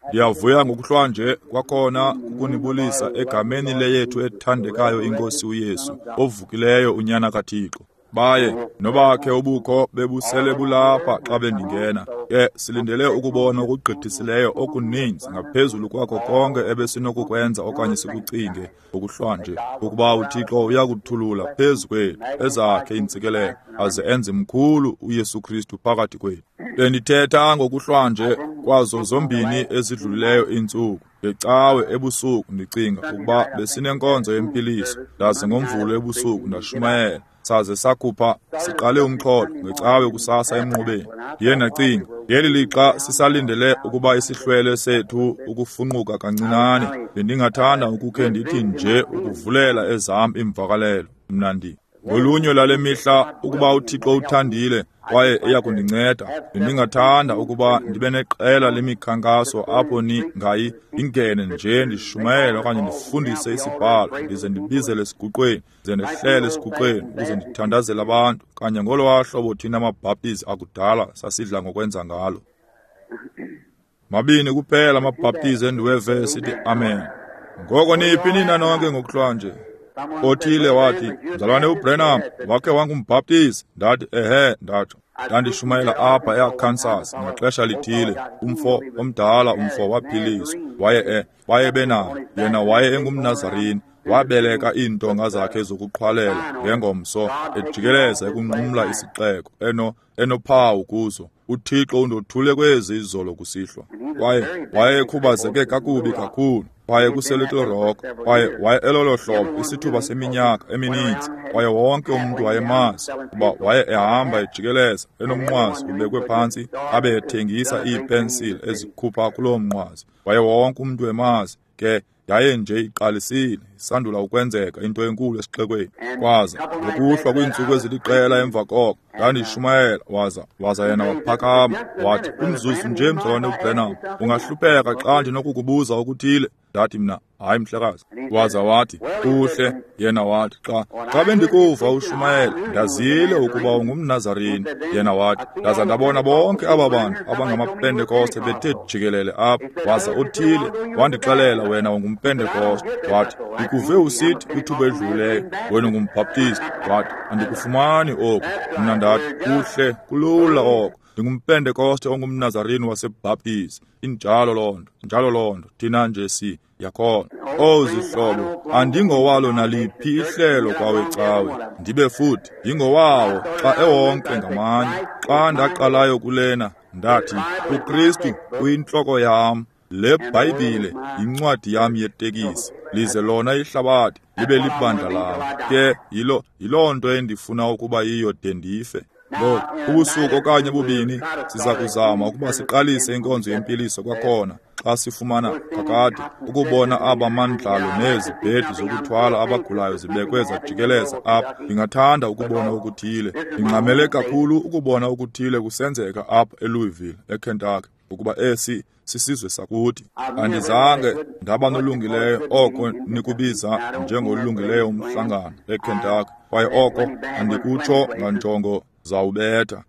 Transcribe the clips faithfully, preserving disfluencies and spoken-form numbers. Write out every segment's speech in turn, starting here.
Ndiyavuya ngokuhlwanje kwakhona ukunibulisa egameni leyethu ethandekayo iNkosi uYesu, ovukileyo uNyana kaThixo. Baye nobakhe ubukho bebusele bulapha xa bendingena. Ke silindele ukubona okugqithisileyo okuninzi ngaphezulu kwakho konke ebesinokukwenza okanye sikucinge ngokuhlwanje, ukuba uThixo uyakuthulula phezu kwethu ezakhe iintsikelelo aze enze mkhulu uYesu Kristu phakathi kwethu. Bendithetha ngokuhlwanje kwazo zombini ezidlulileyo iintsuku. Ngecawe ebusuku ndicinga ukuba besinenkonzo yempiliso, ndaze ngoMvulo ebusuku ndashumayela. Saze sakhupha siqale umxholo ngecawe kusasa emnqubeni. Ndiye ndacinga ngeli lixa sisalindele ukuba isihlwele sethu ukufunquka kancinane, bendingathanda ukukhe ndithi nje ukuvulela ezam iimvakalelo. Mna ndi ngolunye lwale mihla, ukuba uThixo uthandile kwaye eyakundinceda, bendingathanda ukuba ndibe neqela lemikhankaso apho ningayi ndingene nje ndishumayele okanye ndifundise isibhalo, ndize ndibizele esiguqweni, ndize ndehlele esiguqweni ukuze ndithandazele abantu, kanye ngolwaa hlobo thina amaBhaptizi akudala sasidla ngokwenza ngalo. Mabini kuphela amaBhaptizi endiweve esithi amen. Ngoko niphi nina nonke ngokuhlwanje? Othile wathi, "Mzalwane uBrenham wakhe wangumbhaptizi." Ndathi, "Ehe," ndatsho. Ndandishumayela apha eArkansas ngaxesha lithile. Umfo omdala umfo waphiliswa. Waye e waye benayo. Yena waye engumNazarini. Wabeleka iintonga zakhe zokuqhwalela ngengomso ejikeleza ekunqumla isixeko eno enophawu kuzo. UThixo undothule kwezi izolo kusihlwa. Kwaye wayekhubazeke kakubi kakhulu. Kwaye kuseLittle Rock, kwaye waye elolo hlobo isithuba seminyaka emininzi, kwaye wonke umntu wayemazi kuba waye ehamba ejikeleza enomnqwazi ubekwe phantsi, abe ethengisa iipensile ezikhupha kuloo mnqwazi. Waye wonke umntu emazi. Ke yaye nje iqalisile isandula ukwenzeka into enkulu esixekweni. Kwaza ngokuhlwa kwiintsuku eziliqela emva koko ndandishumayela, waza waza yena waphakama wathi, "Umzuzu nje mzalwane uBrenham, ungahlupheka xa ndinokukubuza okuthile." Ndathi mna, "Hayi mhlekazi." Waza wathi, "Kuhle." Yena wathi, xa xa bendikuva ushumayela ndazile ukuba ungumNazarini. Yena wathi, "Ndaza ndabona bonke aba bantu abangamaPentekoste bethe jikelele apha, waza othile wandixelela wena ungumPentekoste. Wathi, ndikuve usithi kwithuba edlulileyo wena ungumbhaptizi. Wathi, andikufumani oku. Mna ndathi, kuhle, kulula oko. NdingumPentekoste ongumNazarini waseBhaptizi. Injalo loo nto, injalo loo nto. Thina nje si yakhona. Oh zihlobo, andingowalo naliphi ihlelo kwawecawe, ndibe futhi ndingowawo xa ewonke ngamanye. Xa ndaqalayo kulena, ndathi, uKristu uyintloko yam, le Bhayibhile yincwadi yam yetekisi, lize lona ihlabathi libe libandla lam. Ke yilo yiloo nto endifuna ukuba yiyo de ndife. Ngoku, ubusuku okanye bubini siza kuzama ukuba siqalise inkonzo yempiliso kwakhona xa sifumana kakade ukubona aba mandlalo nezibhedi zokuthwala abagulayo zibekwe zajikeleza apha. Ndingathanda ukubona okuthile. Ndingxamele kakhulu ukubona okuthile kusenzeka apha eLouisville, eKentucky, ukuba esi sisizwe sakuthi. Andizange ndaba nolungileyo oko nikubiza njengolungileyo umhlangano eKentucky, kwaye oko andikutsho nganjongo zawubetha.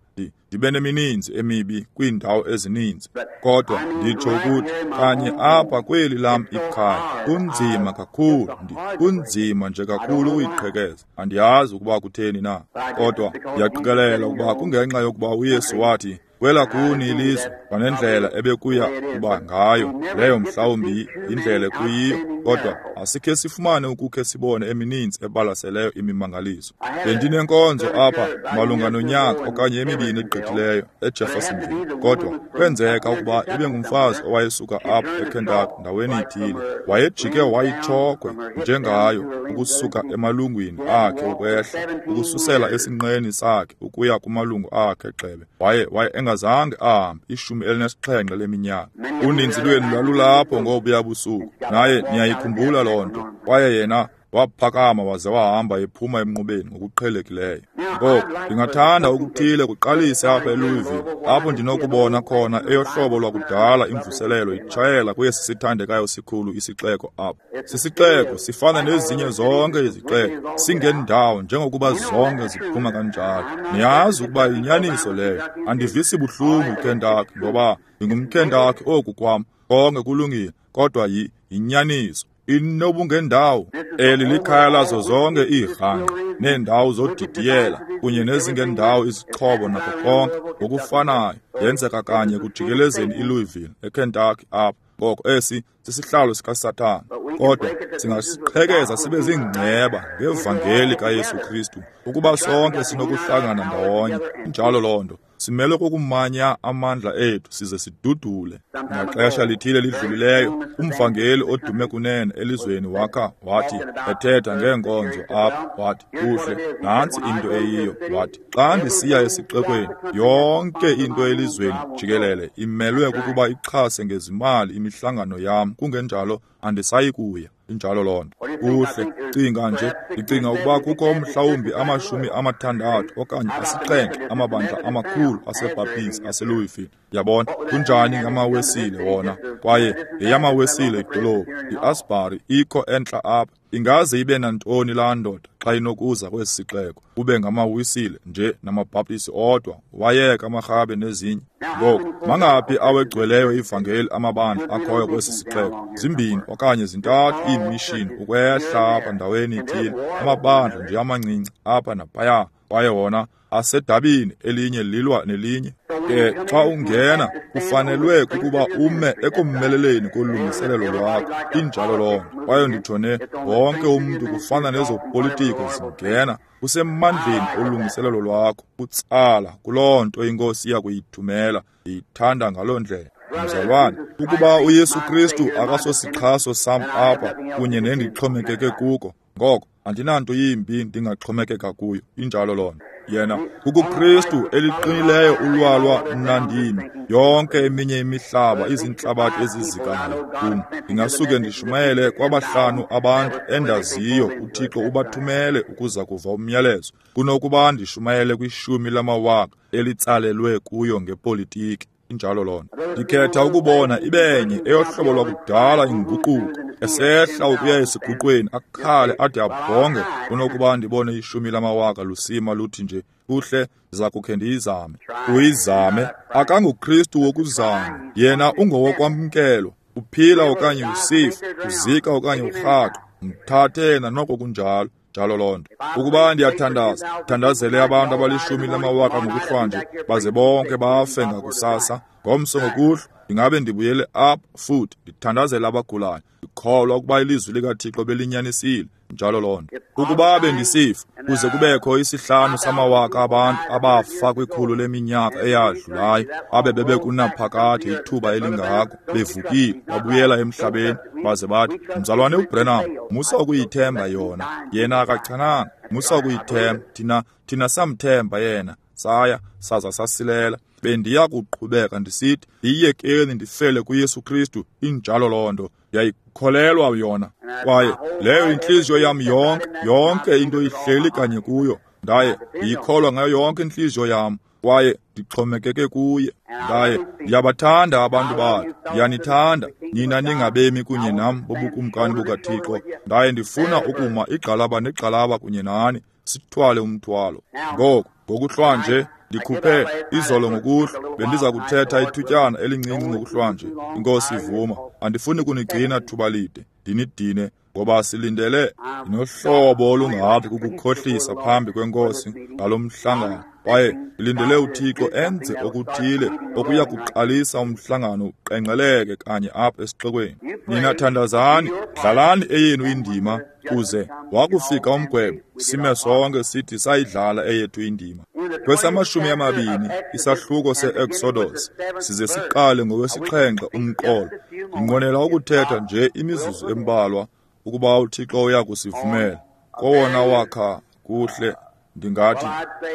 Ndibe nemininzi emibi kwiindawo ezininzi, kodwa nditsho ukuthi kanye apha kweli lam ikhaya kunzima kakhulu, kunzima nje kakhulu ukuyiqhekeza. Andiyazi ukuba kutheni na, kodwa ndiyaqikelela ukuba kungenxa yokuba uYesu wathi, kwela kuni ilizwe kwanendlela ebekuya kuba ngayo, leyo mhlawumbi yindlela ekuyiyo, kodwa asikhe sifumane ukukhe sibone emininzi ebalaseleyo imimangaliso. Bendinenkonzo apha malunga nonyaka okanye emibini egqithileyo eJeffersonville, kodwa kwenzeka ukuba ibe ngumfazi owayesuka apha eKentucky ndaweni ithile. Wayejike wayitshokhwe njengayo ukusuka emalungwini akhe ukwehla, ukususela esinqeni sakhe ukuya kumalungu akhe gxebe. Waye waye engazange ahambe ishumi elinesixhenxe leminyaka. Uninzi lwenu lwalulapho ngobuya busuku, naye niyayikhumbula loo nto. Kwaye yena Waphakama waze wahamba ephuma emnqubeni ngokuqhelekileyo. Ngoku ndingathanda ukuthile kuqalise apha eLouisville, apho ndinokubona khona eyohlobo lwakudala imvuselelo itshayela kwesi sithandekayo sikhulu isixeko apha. Sisixeko sifana nezinye zonke izixeko, singendawo njengokuba zonke ziphuma kanjalo. Niyazi ukuba yinyaniso leyo. Andivisi buhlungu Kentucky ngoba ndingumKentucky oku kwam. Konke kulungile, kodwa yi yinyaniso. Inobungendawo. Eli likhaya lazo zonke iirhangqa neendawo zodidiyela kunye nezingendawo izixhobo nako konke ngokufanayo. Yenzeka kanye kujikelezeni iLouisville eKentucky apha. Ngoko esi sisihlalo sikaSathana, kodwa singasiqhekeza sibe ziingceba ngevangeli kaYesu Kristu ukuba sonke sinokuhlangana ndawonye. Injalo loo nto. Simele kukumanya amandla ethu size sidudule. Ngaxesha lithile lidlulileyo, umvangeli odume kunene elizweni wakha wathi, ethetha ngeenkonzo apha, wathi, kuhle, nantsi into eyiyo. Wathi, xa ndisiya esixekweni, yonke into elizweni jikelele imelwe kukuba ixhase ngezimali imihlangano yam, kungenjalo andisayi kuya. Injalo loo nto. Kuhle, cinga nje, ndicinga ukuba kukho mhlawumbi amashumi amathandathu okanye asixhenxe amabandla amakhulu aseBaptist aseLouisville. Yabona, kunjani ngamaWesile wona? Kwaye yeyamaWesile idolophu, iAsbury ikho entla apha. Ingaze ibe nantoni laa ndoda xa inokuza kwesi sixeko, kube ngamaWisile nje namaBhaptisi odwa, wayeka amaRhabe nezinye. Ngoku, mangaphi awegcweleyo ivangeli amabandla akhoyo kwesi sixeko? Zimbini okanye zintathu iimishini ukwehla apha ndaweni ithile, amabandla nje amancinci apha naphaya, kwaye wona asedabini elinye lilwa nelinye. Ke xa ungena kufanelwe kukuba ume ekummeleleni kolungiselelo lwakho. Injalo loo nto. Kwaye nditsho ne wonke umntu kufana nezopolitiko zingena kusemandleni olungiselelo lwakho, utsala kuloo nto iNkosi iya kuyithumela. Ndiyithanda ngaloo ndlela. Mzalwane, ukuba uYesu Kristu akasosixhaso sam apha kunye nendixhomekeke kuko, ngoko andinanto yimbi ndingaxhomekeka kuyo. Injalo loo nto. Yena kukuKristu eliqinileyo ulwalwa mna ndimi. Yonke eminye imihlaba izintlabathi ezizikayo kum. Ndingasuke ndishumayele kwabahlanu abantu endaziyo uThixo ubathumele ukuza kuva umyalezo, kunokuba ndishumayele kwishumi lamawaka elitsalelwe kuyo ngepolitiki. Injalo loo nto. Ndikhetha ukubona ibenye eyohlobo lwakudala inguquko esehla ukuya esiguqweni akhale ade abhonge, kunokuba ndibone ishumi lamawaka lusima luthi nje, kuhle, ndiza kukhe ndiyizame. Uyizame. AkanguKristu wokuzama, yena ungowokwamkelwa. Uphila okanye usifa, uzika okanye urhaqwa, mthathe yena noko kunjalo. Njalo loo nto. Ukuba ndiyathandaza, thandazele abantu abalishumi lamawaka ngokuhlwanje, baze bonke bafe ngakusasa. Ngomso ngokuhlwa ndingabe ndibuyele apha futhi ndithandazele abagulayo, ndikholwa ukuba ilizwi likaThixo belinyanisile. Njalo loo nto. Ukuba bendisifa kuze kubekho isihlanu samawaka abantu abafa kwikhulu leminyaka eyadlulayo, abe bebekunaphakade ithuba elingako, bevukile babuyela emhlabeni, baze bathi, Mzalwane uBrenham, musa ukuyithemba yona, yena akachananga, musa ukuyithemba, thina thina samthemba yena, saya saza sasilela. Bendiya kuqhubeka ndisithi, ndiyiyekeni ndifele kuYesu Kristu. Injalo loo nto. Ndiyayikholelwa yona. Kwaye leyo intliziyo yam yonke, yonke into ihleli kanye kuyo. Ndaye ndiyikholwa ngayo yonke intliziyo yam, kwaye ndixhomekeke kuye. Ndaye ndiyabathanda abantu bakhe, ndiyanithanda nina ningabemi kunye nam bobukumkani bukaThixo. Ndaye ndifuna ukuma igxalaba negxalaba kunye nani, sithwale umthwalo. Ngoku ngokuhlwanje ndikhuphe izolo ngokuhlwa, bendiza kuthetha ithutyana elincinci ngokuhlwanje, iNkosi ivuma. Andifuni kunigcina thuba lide, ndinidine, ngoba silindele. Ndinohlobo olungathi kukukhohlisa phambi kweNkosi ngalo mhlangano, kwaye ndilindele uThixo enze okuthile okuya kuqalisa umhlangano uqengqeleke kanye apha esixekweni. Nina thandazani, dlalani eyenu indima, kuze wakufika umgwebo sime sonke sithi sayidlala eyethu indima. Kwesamashumi amabini isahluko se-Exodus size siqale ngowesixhenxe umqolo. Ndinqwenela ukuthetha nje imizuzu embalwa ukuba uThixo uya kusivumela. Kowona wakha kuhle, ndingathi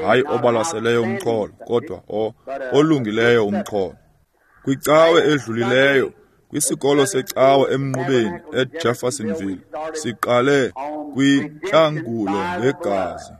hayi obalaseleyo umxholo, kodwa o olungileyo umxholo. Kwicawe edlulileyo kwisikolo secawa emnqubeni eJeffersonville, siqale kwintlangulo ngegazi.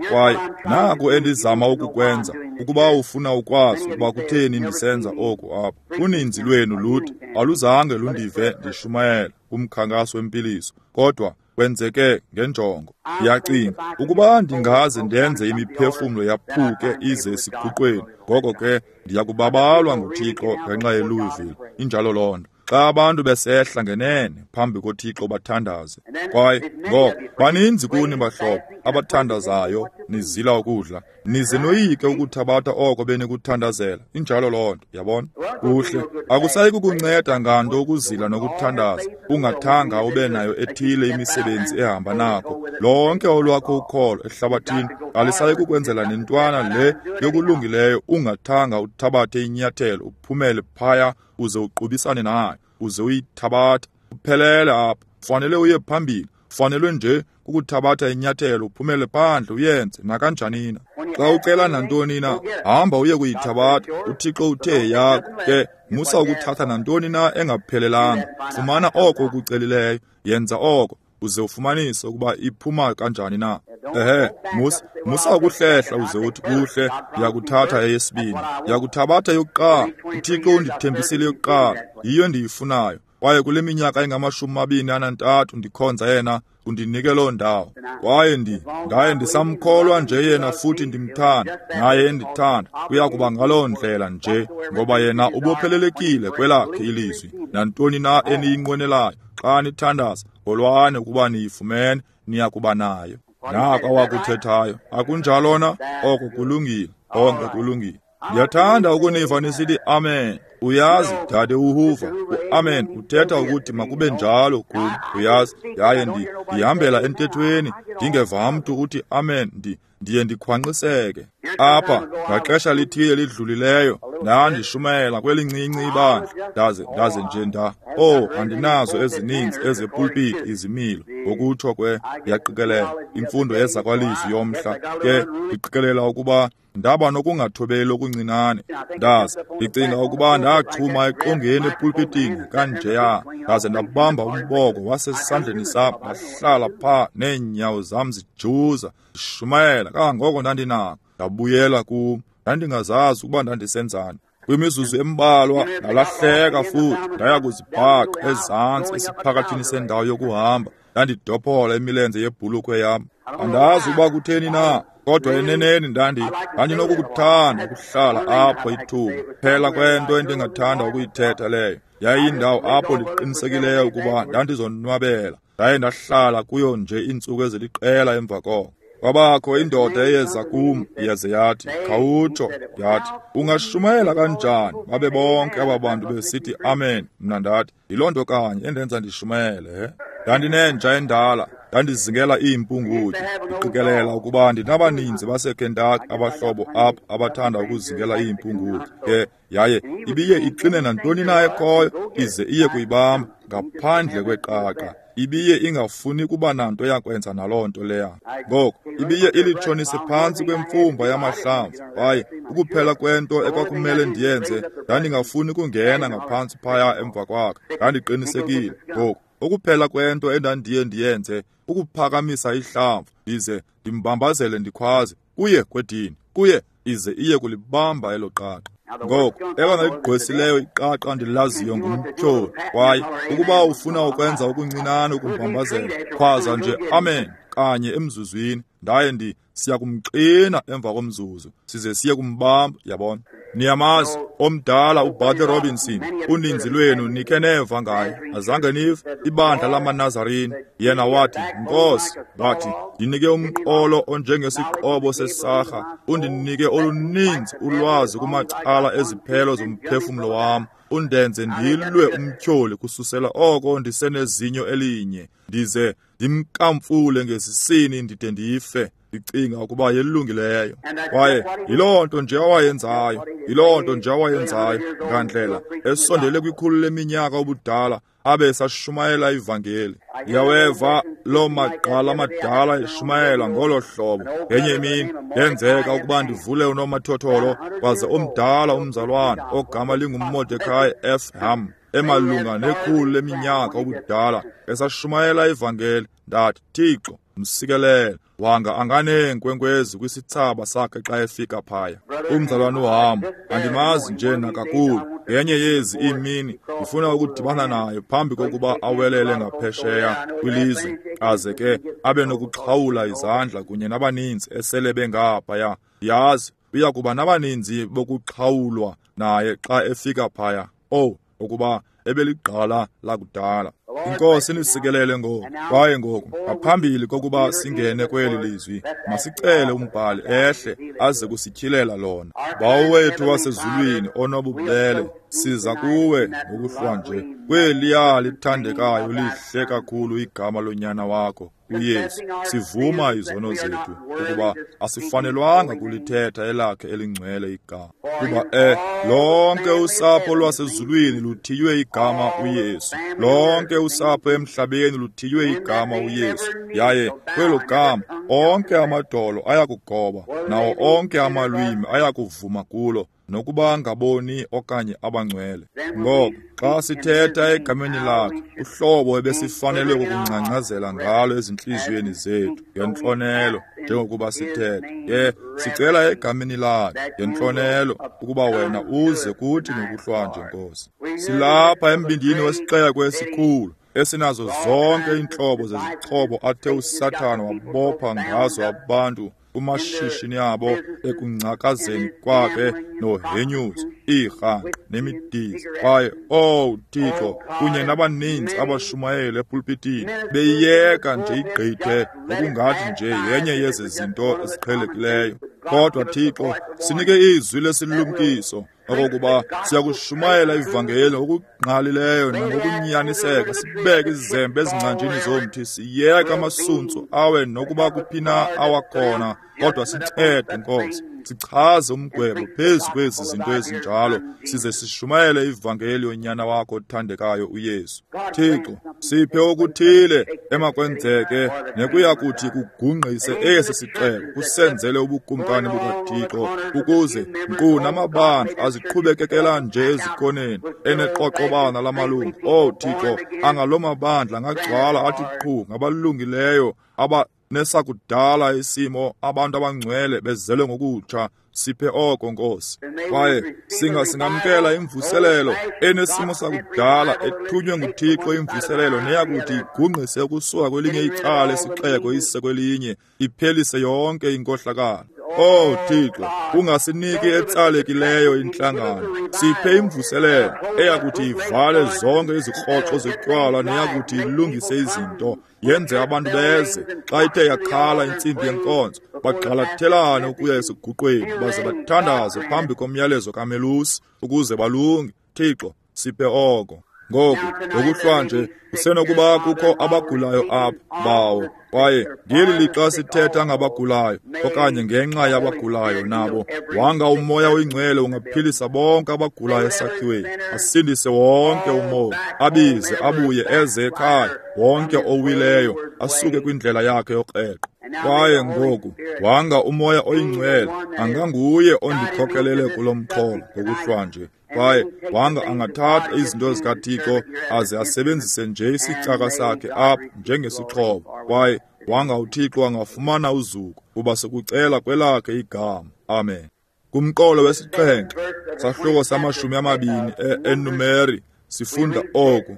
Kwaye naku endizama ukukwenza, ukuba ufuna ukwazi ukuba kutheni ndisenza oku apha. Uninzi lwenu luthi aluzange lundive ndishumayela kumkhankaso wempiliso, kodwa kwenzeke ngenjongo. Ndiyacinga ukuba ndingaze ndenze imiphefumlo yaphuke ize esiguqweni, ngoko ke ndiyakubabalwa nguThixo ngenxa yeLouisville. Injalo loo nto. Xa abantu besehla ngenene phambi koThixo bathandaze. Kwaye ngoko baninzi kuni bahlobo abathandazayo nizila ukudla, nize noyike ukuthabatha oko benikuthandazela. Injalo loo nto, yabona? Kuhle, akusayi kukunceda nganto ukuzila nokuthandaza ungathanga ube nayo ethile imisebenzi ehamba nako. Lonke olwakho ukholo ehlabathini alisayi kukwenzela nentwana le yokulungileyo ungathanga uthabathe inyathelo uphumele phaya uze uqubisane nayo, uze uyithabatha uphelele apha. Ufanele uye phambili, ufanelwe nje kukuthabatha inyathelo uphumele phandle uyenze nakanjanina. Xa ucela nantoni na, hamba uye kuyithabatha. UThixo uthe yakho, ke musa ukuthatha nantoni na engaphelelanga. Fumana oko ukucelileyo, yenza oko uze ufumanise ukuba iphuma kanjani na. Ehe, musa musa ukuhlehla uze uthi kuhle, ndiyakuthatha eyesibini, ndiyakuthabatha yokuqala. UThixo undithembisile yokuqala, yiyo endiyifunayo. Kwaye kule minyaka engamashumi amabini anantathu ndikhonza yena, undinike loo ndawo. Kwaye ndi ndaye ndisamkholwa nje yena futhi ndimthanda, naye endithanda. Kuya kuba ngaloo ndlela nje, ngoba yena ubophelelekile kwelakhe ilizwi. Nantoni na eniyinqwenelayo xa nithandaza, kholwani ukuba niyifumene, niya kuba nayo. Nako awakuthethayo, akunjalo na? Oko kulungile, konke kulungile. Ndiyathanda ukuniva nisithi amen. Uyazi, dade uHoover, u-amen uthetha ukuthi makube njalo kum, uyazi. Yaye ndi ndihambela entethweni ndingeva mntu uthi amen, ndi ndiye ndikhwanqiseke. Apha ngaxesha lithile lidlulileyo ndandishumayela kwelincinci ibandla, ndaze ndaze nje nda oh andinazo ezininzi ezepulpiti izimilo, ngokutsho kwe ndiyaqikelela imfundo yezakwalizwi yomhla. Ke ndiqikelela ukuba ndaba nokungathobeli okuncinane. Ndaze ndicinga ukuba ndaxhuma eqongeni epulpitini kanjeya, ndaze ndabamba umboko wasesandleni sam, ndahlala phaa neenyawo zam zijuza, ndishumayela kangangoko ndandinako. Ndabuyela kum, ndandingazazi ukuba ndandisenzani. Kwimizuzu embalwa ndalahleka futhi ndaya kuzibhaqa ezantsi esiphakathini sendawo yokuhamba. Ndandidophola imilenze yebhulukhwe yam. Andazi ukuba kutheni na, kodwa eneneni ndandi ndandinokukuthanda ukuhlala apho ithuba. Phela kwento endingathanda ukuyithetha leyo yayiyindawo apho ndiqinisekileyo ukuba ndandizonwabela. Ndaye ndahlala kuyo nje iintsuku eziliqela emva koko. Kwabakho indoda eyeza kum yaze yathi, khawutsho, yathi, ungashumayela kanjani babe bonke aba bantu besithi amen? Mna ndathi, yiloo nto kanye endenza ndishumayele. He, ndandinenja endala, ndandizingela iimpungutye. Ndiqikelela ukuba ndinabaninzi baseKentucky abahlobo apho abathanda ukuzingela iimpungutye. Ke yaye ibiye ixine nantoni na ekhoyo ize iye kuyibamba ngaphandle kweqaqa. Ibiye ingafuni kuba nanto yakwenza naloo nto leya. Ngoko ibiye ilitshonise phantsi kwemfumba yamahlamvu. Kwaye ukuphela kwento ekwakumele ndiyenze, ndandingafuni kungena ngaphantsi phaya emva kwakhe. Ndandiqinisekile. Ngoku ukuphela kwento endandiye ndiyenze ukuphakamisa ihlamvu ndize ndimbambazele ndikhwaze kuye kwedini, kuye, ize iye kulibamba elo qaqa. Ngoko elona ligqwesileyo iqaqa ndilaziyo ngumtyholi. Kwaye ukuba ufuna ukwenza okuncinane ukumbambazela, khwaza nje amen kanye emzuzwini. Ndaye ndi siya kumxina emva komzuzu size siye kumbamba, yabona. Niyamazi omdala uBartley Robinson, uninzi lwenu nikhe neva ngaye. Azange nive ibandla lamaNazarini. Yena wathi, Nkosi, wathi, ndinike umqolo onjengesiqobo sesarha, undinike oluninzi ulwazi kumacala eziphelo zomphefumlo wam, undenze ndilwe umtyholi kususela oko ndisenezinyo elinye, ndize ndimkamfule ngesisini ndide ndife. Ndicinga ukuba yelungileyo. Kwaye yiloo nto nje awayenzayo, yiloo nto nje awayenzayo ngandlela esondele kwikhulu leminyaka ubudala abe esashumayela ivangeli. Ndiyaweva loo magqala amadala eshumayela ngolo hlobo. Ngenye imini yenzeka ukuba ndivule unomathotholo, kwaze omdala umzalwana ogama linguMordecai F. Ham emalunga nekhulu leminyaka ubudala, esashumayela ivangeli. Ndathi, Thixo, msikelele, wanga anganeenkwenkwezi kwisithsaba sakhe xa efika phaya. Umzalwane uHambo, andimazi nje nakakhulu. Ngenye yezi iimini ndifuna ukudibana naye phambi kokuba awelele ngaphesheya kwilizwe, aze ke abe nokuxhawula izandla kunye nabaninzi esele bengaphaya. Ndiyazi uya kuba nabaninzi bokuxhawulwa naye xa efika phaya. Owu, ukuba ebeligqala lakudala. Inkosi inisikelele ngoku. Kwaye ngoku, ngaphambili kokuba singene kweli lizwi, masicele umbhali ehle aze kusityhilela lona. Bawo wethu wasezulwini onobubele, siza kuwe ngokuhlwa nje kweliya lithandekayo lihle kakhulu igama lonyana wakho uYesu. Sivuma izono zethu ukuba asifanelwanga kulithetha elakhe elingcwele igama, kuba eh lonke usapho lwasezulwini luthiywe igama uYesu, lonke usapho emhlabeni luthiywe igama uYesu, yaye kwelo gama onke amadolo ayakugoba nawo onke amalwimi ayakuvuma kulo, nokuba ngaboni okanye abangcwele. Ngoko xa sithetha egameni lakhe, uhlobo ebesifanele ukungcangcazela ngalo ezintliziyweni zethu ngentlonelo njengokuba sithetha, ke sicela egameni lakhe ngentlonelo ukuba wena uze kuthi ngokuhlwanje, Nkosi. Silapha embindini wesixeko esikhulu esinazo zonke iintlobo zezixhobo athe uSathana wabopha ngazo abantu kumashishini abo ekungcakazeni kwakhe nohenyuzo, iirhanqa nemidiza. Kwaye, owu Thixo, kunye nabaninzi abashumayeli epulpitini beyiyeka nje igqithe ngokungathi nje yenye yezi zinto eziqhelekileyo. Kodwa Thixo, sinike izwi lesilumkiso okokuba siyakushumayela ivangeli ngokungqalileyo nangokunyaniseka, sibeke izembe ezingcanjini zomthi, siyeke amasuntsu awe nokuba kuphi na awakhona, kodwa sincede, Nkosi, sichaze umgwebo phezu kwezi zinto ezinjalo, size sishumayele ivangeli yonyana wakho othandekayo uYesu. Thixo, siphe okuthile emakwenzeke nekuya kuthi kugungqise esi sixeko, kusenzele ubukumkani bukaThixo, ukuze nkqu namabandla aziqhubekekela nje ezikoneni eneqoqobana lamalungu. Oh Thixo, angaloo mabandla angagcwala athi qhu ngabalungileyo aba nesakudala isimo, abantu abangcwele bezelwe ngokutsha. Siphe oko, Nkosi. Kwaye singa singamkela imvuselelo enesimo sakudala ethunywe nguThixo, imvuselelo neyakuthi igungqise ukusuka kwelinye icala esixeko ise kwelinye, iphelise yonke inkohlakalo. Oh Thixo, ungasiniki etsalekileyo intlangano. Siphe imvuselelo eyakuthi ivale zonke izikroxo zotywala neyakuthi ilungise izinto, yenze abantu beze xa ithe yakhala intsimbi yenkonzo, bagxalathelane ukuya esiguqweni baze bathandaze phambi komyalezo kamelusi ukuze balunge. Thixo, siphe oko. Ngoku ngokuhlwanje kusenokuba kukho abagulayo apha, Bawo, kwaye ngeli lixa sithetha ngabagulayo okanye ngenxa yabagulayo nabo, wanga uMoya oyiNgcwele ungaphilisa bonke abagulayo esakhiweni, asindise wonke umoya, abize abuye eze ekhaya wonke owileyo asuke kwindlela yakhe yokreqo. Kwaye ngoku wanga uMoya oyiNgcwele anganguye ondikhokelele kulo mxholo ngokuhlwanje, kwaye wanga angathatha izinto zikaThixo aze asebenzise nje isicaka sakhe apha njengesixhobo, kwaye wanga uThixo angafumana uzuko, kuba sikucela kwelakhe igama. Amen. Kumqolo wesixhenxe, sahluko samashumi amabini eNumeri, sifunda oku.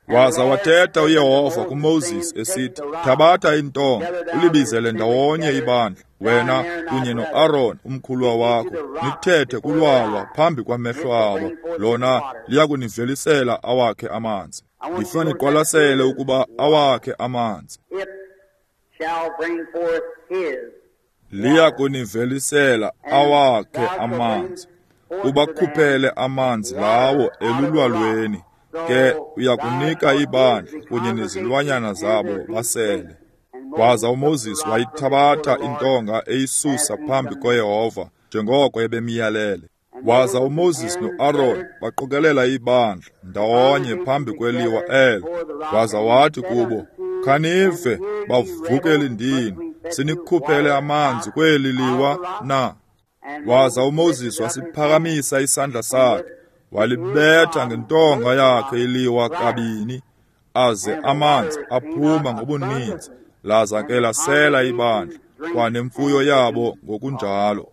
Waza wathetha uYehova kuMoses esithi, thabatha intonga, ulibizele ndawonye ibandla, wena kunye noAron umkhuluwa wakho, nithethe kulwalwa phambi kwamehlo abo, lona liyakunivelisela awakhe amanzi. Ndifuna niqwalasele ukuba awakhe amanzi. Liyakunivelisela awakhe amanzi, ubakhuphele amanzi lawo elulwalweni, ke uyakunika ibandla kunye nezilwanyana zabo basele. Waza uMoses wayithabatha intonga eyisusa phambi koYehova njengoko ebemyalele. Waza uMoses noAron baqokelela ibandla ndawonye phambi kweliwa elo. Waza wathi kubo, khanive, bavukeli ndini, sinikhuphele amanzi kweli liwa na? Waza uMoses wasiphakamisa isandla sakhe, Walibetha ngentonga yakhe iliwa kabini, aze amanzi aphuma ngobuninzi, laza ke lasela ibandla kwanemfuyo yabo ngokunjalo.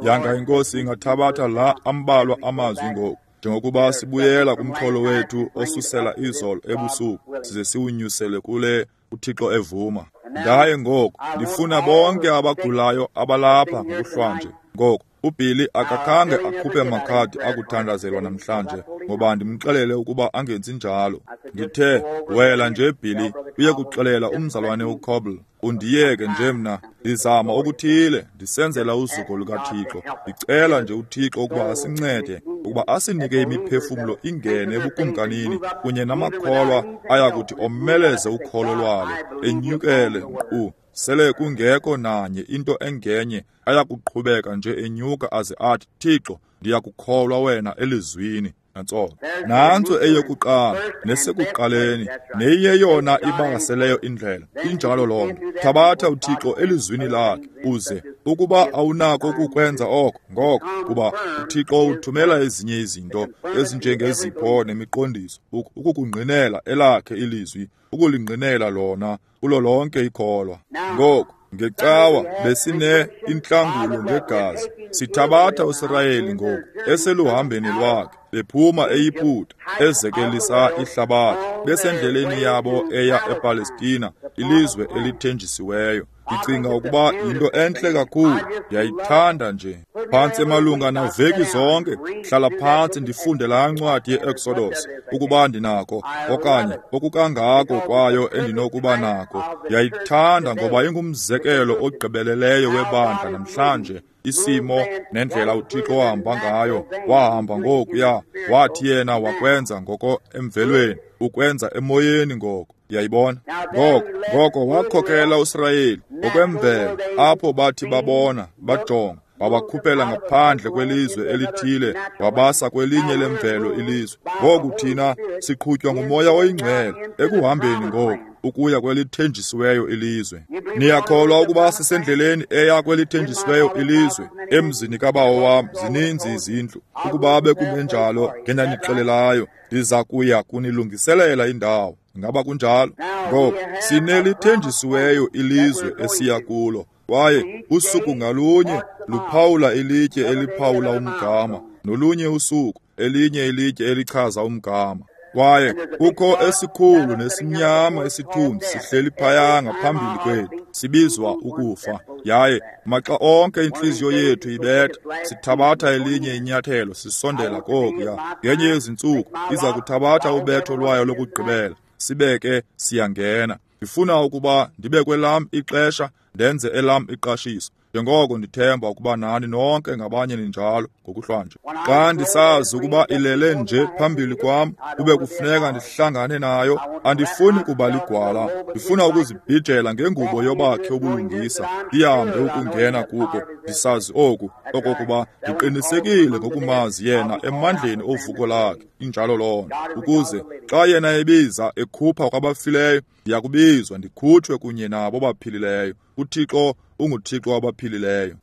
Yanga iNkosi ingathabatha la ambalwa amazwi ngoku, njengokuba sibuyela kumxholo wethu osusela izolo ebusuku, size siwunyusele kule uThixo evuma. Ndaye ngoku ndifuna bonke abagulayo abalapha ngokuhlwanje. Ngoku uBilly akakhange akhuphe makhadi akuthandazelwa namhlanje, ngoba ndimxelele ukuba angenzi njalo. Ndithe, wela nje Billy, uye kuxelela umzalwane uCoble, undiyeke nje mna, ndizama okuthile, ndisenzela uzuko lukaThixo. Ndicela nje uThixo ukuba asincede, ukuba asinike imiphefumlo ingene ebukumkanini kunye namakholwa ayakuthi omeleze ukholo lwalo, enyukele nkqu sele kungekho nanye into engenye, ayakuqhubeka nje enyuka aze athi, Thixo, ndiyakukholwa wena elizwini. Nantso nantso eyokuqala nesekuqaleni, neyeyona ibaseleyo indlela. Injalo loo nto. Thabatha uThixo elizwini lakhe, uze ukuba awunako ukukwenza oko ngoko, kuba uThixo uthumela ezinye izinto ezinjengezipho nemiqondiso ukukungqinela elakhe ilizwi, ukulingqinela lona kulo lonke ikholwa. Ngoku ngecawa besine intlangulo ngegazi. Sithabatha uSirayeli ngoku eseluhambeni lwakhe, bephuma eYiputa, ezekelisa ihlabathi, besendleleni yabo eya ePalestina, ilizwe elithenjisiweyo. Ndicinga ukuba yinto entle kakhulu, ndiyayithanda nje. Phantsi emalunga naveki zonke, hlala phantsi ndifunde laa ncwadi ye-Exodus, ukuba ndinako, okanye okukangako kwayo endinokuba nako. Ndiyayithanda ngoba ingumzekelo ogqibeleleyo webandla namhlanje, isimo nendlela uThixo wahamba ngayo. Wahamba ngokuya, wathi yena wakwenza ngoko emvelweni, ukwenza emoyeni ngoko. Ndiyayibona. Ngoko, ngoko wakhokela uSirayeli ngokwemvelo, apho bathi babona, bajonga, wabakhuphela ngaphandle kwelizwe elithile, wabasa kwelinye lemvelo ilizwe. Ngoku thina siqhutywa nguMoya oyiNgcwele ekuhambeni ngoku ukuya kwelithenjisiweyo ilizwe. Niyakholwa ukuba sisendleleni eya kwelithenjisiweyo ilizwe? Emzini kaBawo wam zininzi izindlu. Ukuba bekungenjalo, ngendanixelelayo, ndiza kuya kunilungiselela indawo. Ngaba kunjalo? Ngoku sinelithenjisiweyo ilizwe esiya kulo, kwaye usuku ngalunye luphawula ilitye eliphawula umgama, nolunye usuku elinye ilitye elichaza umgama. Kwaye kukho esikhulu nesimnyama isithunzi sihleli phaya ngaphambili kwethu, sibizwa ukufa. Yaye maxa onke intliziyo yethu ibetha, sithabatha elinye inyathelo sisondela kokuya. Ngenye yezintsuku iza kuthabatha ubetho lwayo lokugqibela, sibeke siyangena. Ndifuna ukuba ndibe kwelam ixesha, ndenze elam iqashiso, njengoko ndithemba ukuba nani nonke ngabanye ninjalo ngokuhlwanje. Xa ndisazi ukuba ilele nje phambili kwam, kube kufuneka ndihlangane nayo. Andifuni kuba ligwala, ndifuna ukuzibhijela ngengubo yobakhe ubulungisa, ndihambe ukungena kuko, ndisazi oku, okokuba ndiqinisekile ngokumazi yena emandleni ovuko lakhe. Injalo loo nto, ukuze xa yena ebiza ekhupha kwabafileyo, ndiyakubizwa ndikhutshwe kunye nabo baphilileyo. uThixo unguThixo wabaphilileyo.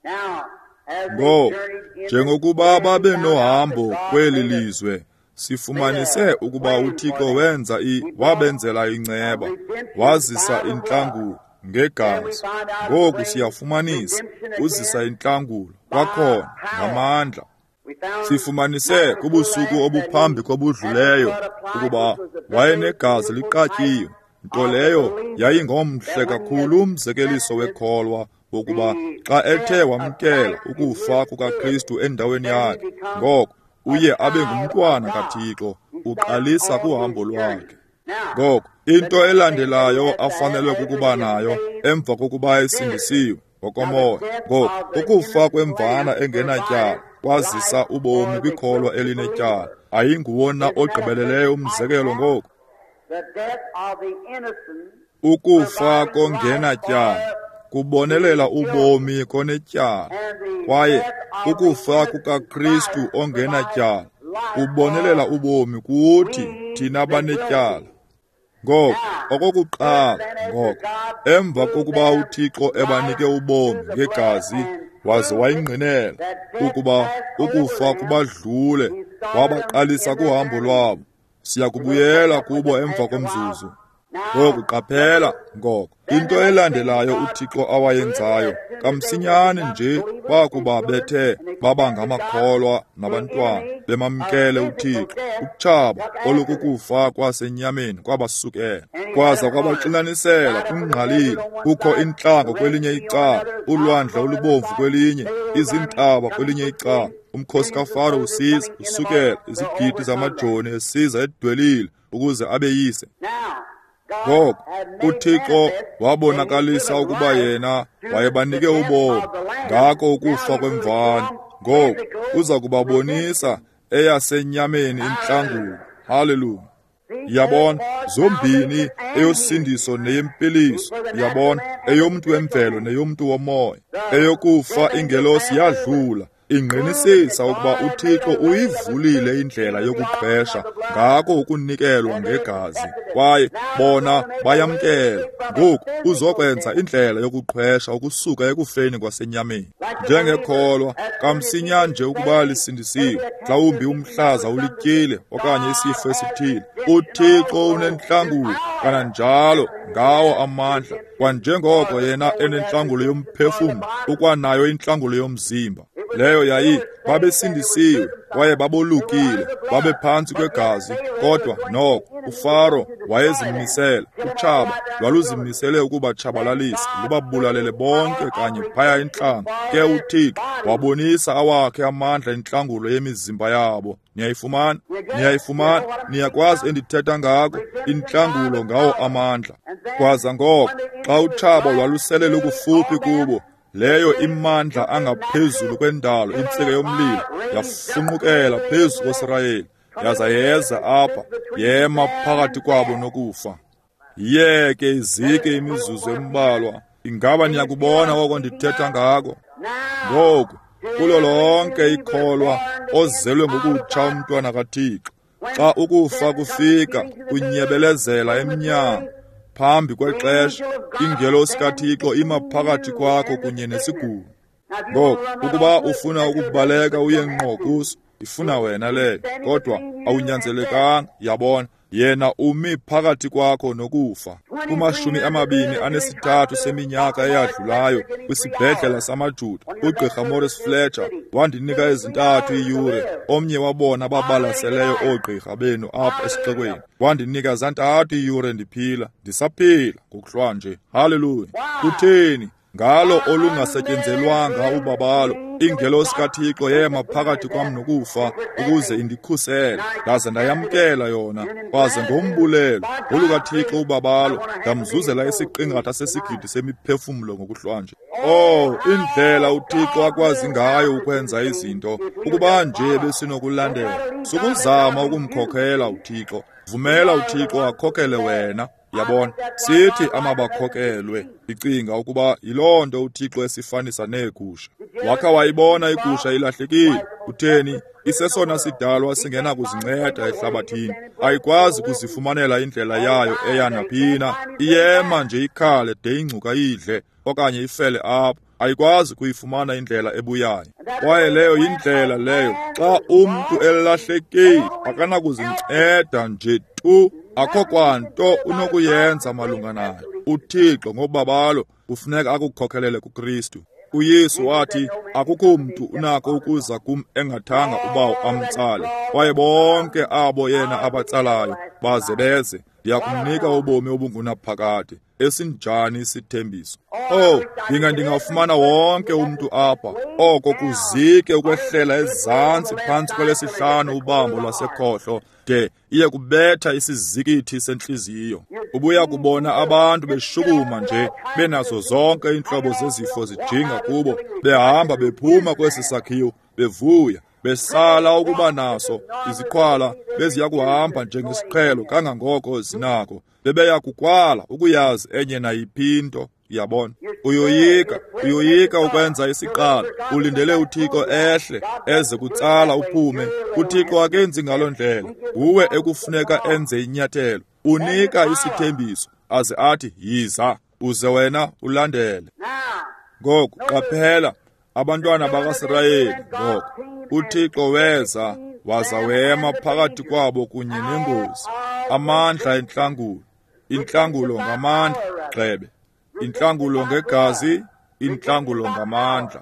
Ngoku, njengokuba babenohambo kweli lizwe, sifumanise ukuba uThixo wenza i wabenzela inceba, wazisa intlangulo ngegazi. Ngoku siyafumanisa uzisa intlangulo kwakhona ngamandla. Sifumanise kubusuku obuphambi kobudluleyo ukuba wayenegazi liqatyiwe, nto leyo yayingomhle kakhulu umzekeliso wekholwa wokuba xa ethe wamkela ukufa kukaKristu endaweni yakhe, ngoko uye abe ngumntwana kaThixo, uqalisa kuhambo lwakhe. Ngoko into elandelayo afanelwe kukuba nayo emva kokuba esindisiwe ngokomoya, ngoko ukufa kwemvana engenatyala kwazisa ubomi kwikholwa elinetyala. Ayinguwona ogqibeleleyo umzekelo ngoku. Ukufa kongenatyala kubonelela ubomi konetyala, kwaye ukufa kukaKristu ongenatyala kubonelela ubomi kuthi thina banetyala. Ngoko okokuqala, ngoko emva kokuba uThixo ebanike ubomi ngegazi waze wayingqinela ukuba ukufa kubadlule, wabaqalisa kuhambo lwabo. Siyakubuyela kubo emva komzuzu. Ngoku qaphela, ngoko into elandelayo uThixo awayenzayo kamsinyane nje bakuba bethe baba ngamakholwa nabantwana bemamkele uThixo, utshaba olukukufa kwasenyameni kwabasukela, kwaza kwabaxinanisela kungqalile. Kukho intlango kwelinye icala, ulwandle olubomvu kwelinye, izintaba kwelinye icala. Umkhosi kaFaro usiza usukela, izigidi zamajoni esiza edwelile ukuze abeyise. Ngoko uThixo wabonakalisa ukuba yena wayebanike ubomi ngako ukufa kwemvana. Ngoku uza kubabonisa eyasenyameni intlangulo. Haleluya! Yabona, zombini eyosindiso neyempiliso. Yabona, eyomntu wemvelo neyomntu womoya. Eyokufa ingelosi yadlula, ingqinisisa ukuba uThixo uyivulile indlela yokuqhwesha ngako ukunikelwa ngegazi, kwaye bona bayamkela. Ngoku uzokwenza indlela yokuqhwesha ukusuka ekufeni kwasenyameni. Njengekholwa, kamsinya nje ukuba lisindisiwe, mhlawumbi umhlaza ulityile okanye isifo esithile, uThixo unentlangulo kananjalo ngawo amandla. Kwanjengoko yena enentlangulo yomphefumlo, ukwanayo intlangulo yomzimba. Leyo yayi babesindisiwe kwaye babolukile, babephantsi kwegazi, kodwa noko uFaro wayezimisele, utshaba lwaluzimisele ukubatshabalalisa, lubabulalele bonke kanye phaya intlango. Ke uThixo wabonisa awakhe amandla intlangulo yemizimba yabo. Niyayifumana? Niyayifumana? Niyakwazi endithetha ngako? Intlangulo ngawo amandla. Kwaza ngoko xa utshaba lwalusele lukufuphi kubo, leyo imandla angaphezulu kwendalo, intsika yomlilo yafunqukela phezu koSirayeli, yaza yeza apha, yema phakathi kwabo nokufa. Yeke izike imizuzu embalwa. Ingaba niyakubona oko ndithetha ngako? Ngoku kulo lonke ikholwa ozelwe ngokutsha umntwana kaThixo, xa ukufa kufika kunyebelezela emnyango phambi kwexesha, ingelosi kaThixo ima phakathi kwakho kunye nesigulo. Ngoku ukuba ufuna ukubaleka uye ngqo kuso, ifuna wena leyo, kodwa awunyanzelekanga. Yabona, yena umi phakathi kwakho nokufa. Kumashumi amabini anesithathu seminyaka eyadlulayo kwisibhedlela samaJuda, uGqirha Morris Fletcher wandinika ezintathu iiyure. Omnye wabona babalaseleyo oogqirha benu apha esixekweni wandinika zantathu iiyure ndiphila, ndisaphila ngokuhlwa nje. Haleluya! Kutheni? Ngalo olungasetyenzelwanga ubabalo, ingelosi kaThixo yema phakathi kwam nokufa ukuze indikhusele, ndaze ndayamkela yona. Kwaze ngombulelo olukaThixo ubabalo ndamzuzela isiqingatha sesigidi semiphefumlo ngokuhlwanje. Oh, indlela uThixo akwazi ngayo ukwenza izinto! Ukuba nje besinokulandela, sukuzama ukumkhokhela uThixo, vumela uThixo akhokhele wena. Yabona, sithi amabakhokelwe. Ndicinga ukuba yiloo nto uThixo esifanisa neegusha. Wakha wayibona igusha ilahlekile? Utheni? Isesona sidalwa singenakuzinceda ehlabathini. Ayikwazi kuzifumanela indlela yayo eya naphina. Iyema nje ikhale de ingcuka idle okanye ifele apho. Ayikwazi kuyifumana indlela ebuyayo. Kwaye leyo yindlela leyo. Xa umntu elahlekile, akanakuzinceda nje tu. Akho kwanto unokuyenza malunga nayo. uThixo ngobabalo kufuneka akukhokhelele kuKristu. uYesu wathi, akukho mntu unako ukuza kum engathanga ubawo amtsale. Kwaye bonke abo yena abatsalayo baze beze, ndiyakumnika ubomi obungunaphakade. Esinjani isithembiso! Oh, ndinga ndingafumana wonke umntu apha, oko kuzike ukwehlela ezantsi phantsi kwelesihlanu ubambo lwasekhohlo, de iye kubetha isizikithi sentliziyo. Ubuya kubona abantu beshukuma nje, benazo zonke iintlobo zezifo zijinga kubo, behamba bephuma kwesi sakhiwo, bevuya, besala ukuba naso iziqhwala beziya kuhamba njengesiqhelo kangangoko zinako. Bebeya kukwala ukuyazi enye nayiphi into. Yabona, uyoyika, uyoyika ukwenza isiqalo, ulindele uThixo ehle eze kutsala uphume. UThixo akenzi ngaloo ndlela. Nguwe ekufuneka enze inyathelo. Unika isithembiso aze athi yiza, uze wena ulandele. Ngoku qaphela, Abantwana bakaSirayeli ngoko, uThixo weza waza wema phakathi kwabo kunye nengozi, amandla entlangulo, intlangulo ngamandla, gxebe, intlangulo ngegazi, intlangulo ngamandla.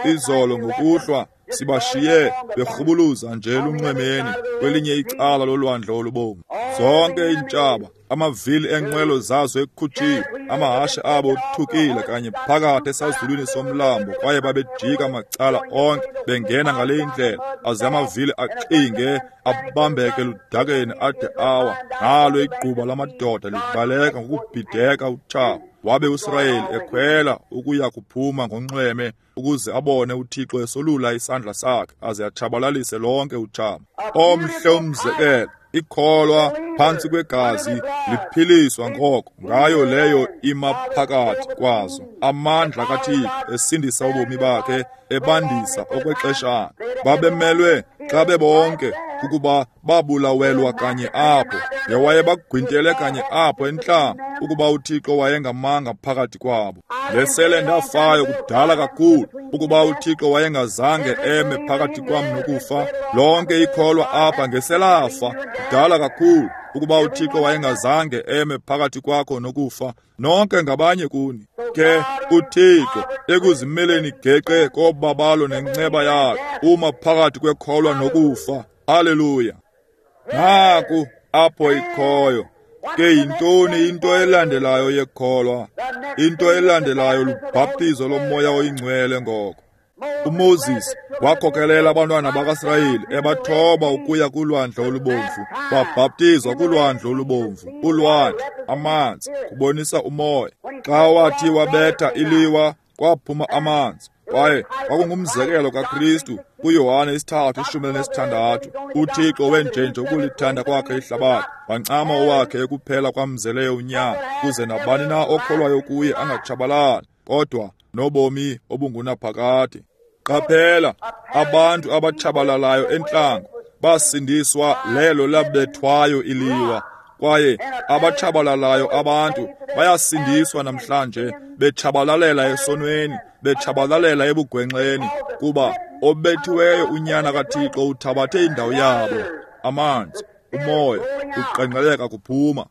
Izolo ngokuhlwa sibashiye berhubuluza nje lunxwemeni kwelinye icala lolwandle olubomvu. Zonke iintshaba, amavili enqwelo zazo ekhutshiwe, amahashe abo othukile kanye phakathi esazulwini somlambo, kwaye babejika macala onke bengena ngale indlela, aze amavili axinge abambeke ludakeni ade awa. Nalo igquba lamadoda libaleka ngokubhideka utshaba. Wabe uSirayeli ekhwela ukuya kuphuma ngonxweme ukuze abone uThixo esolula isandla sakhe aze atshabalalise lonke utshaba. Omhle umzekelo, ikholwa phantsi kwegazi liphiliswa ngoko ngayo leyo ima phakathi kwazo. Amandla kaThixo esindisa ubomi bakhe, ebandisa okwexeshana. Babemelwe xa bebonke ukuba babulawelwa kanye apho, ngewayebagwintele kanye apho entlango, ukuba uThixo wayengamanga phakathi kwabo. Ngesele ndafayo kudala kakhulu, ukuba uThixo wayengazange eme phakathi kwam nokufa. Lonke ikholwa apha ngeselafa kudala kakhulu, ukuba uThixo wayengazange eme phakathi kwakho nokufa. Nonke ngabanye kuni. Ke uThixo ekuzimeleni geqe kobabalo nenceba yakhe, uma phakathi kwekholwa nokufa. Haleluya. Naku apho ikhoyo. Ke yintoni into elandelayo yekholwa? Into elandelayo lubhaptizo lomoya oyingcwele ngoko. uMoses wakhokelela abantwana bakaSirayeli ebathoba ukuya kulwandle olubomvu. Babhaptizwa kulwandle olubomvu. Ulwandle, amanzi, kubonisa umoya. Xa wathi wabetha iliwa, kwaphuma amanzi. Kwaye kwakungumzekelo kaKristu kuYohane isithathu ishumi elinesithandathu. uThixo wenjenje ukulithanda kwakhe ihlabathi, wancama owakhe ekuphela kwamzeleyo unyana, kuze nabani na okholwayo kuye angatshabalali, kodwa nobomi obungunaphakade. Qaphela, abantu abatshabalalayo entlango basindiswa lelo labethwayo iliwa, kwaye abatshabalalayo abantu bayasindiswa namhlanje, betshabalalela esonweni, betshabalalela ebugwenxeni, kuba obethiweyo unyana kaThixo uthabathe indawo yabo. Amanzi, umoya, uqengqeleka kuphuma.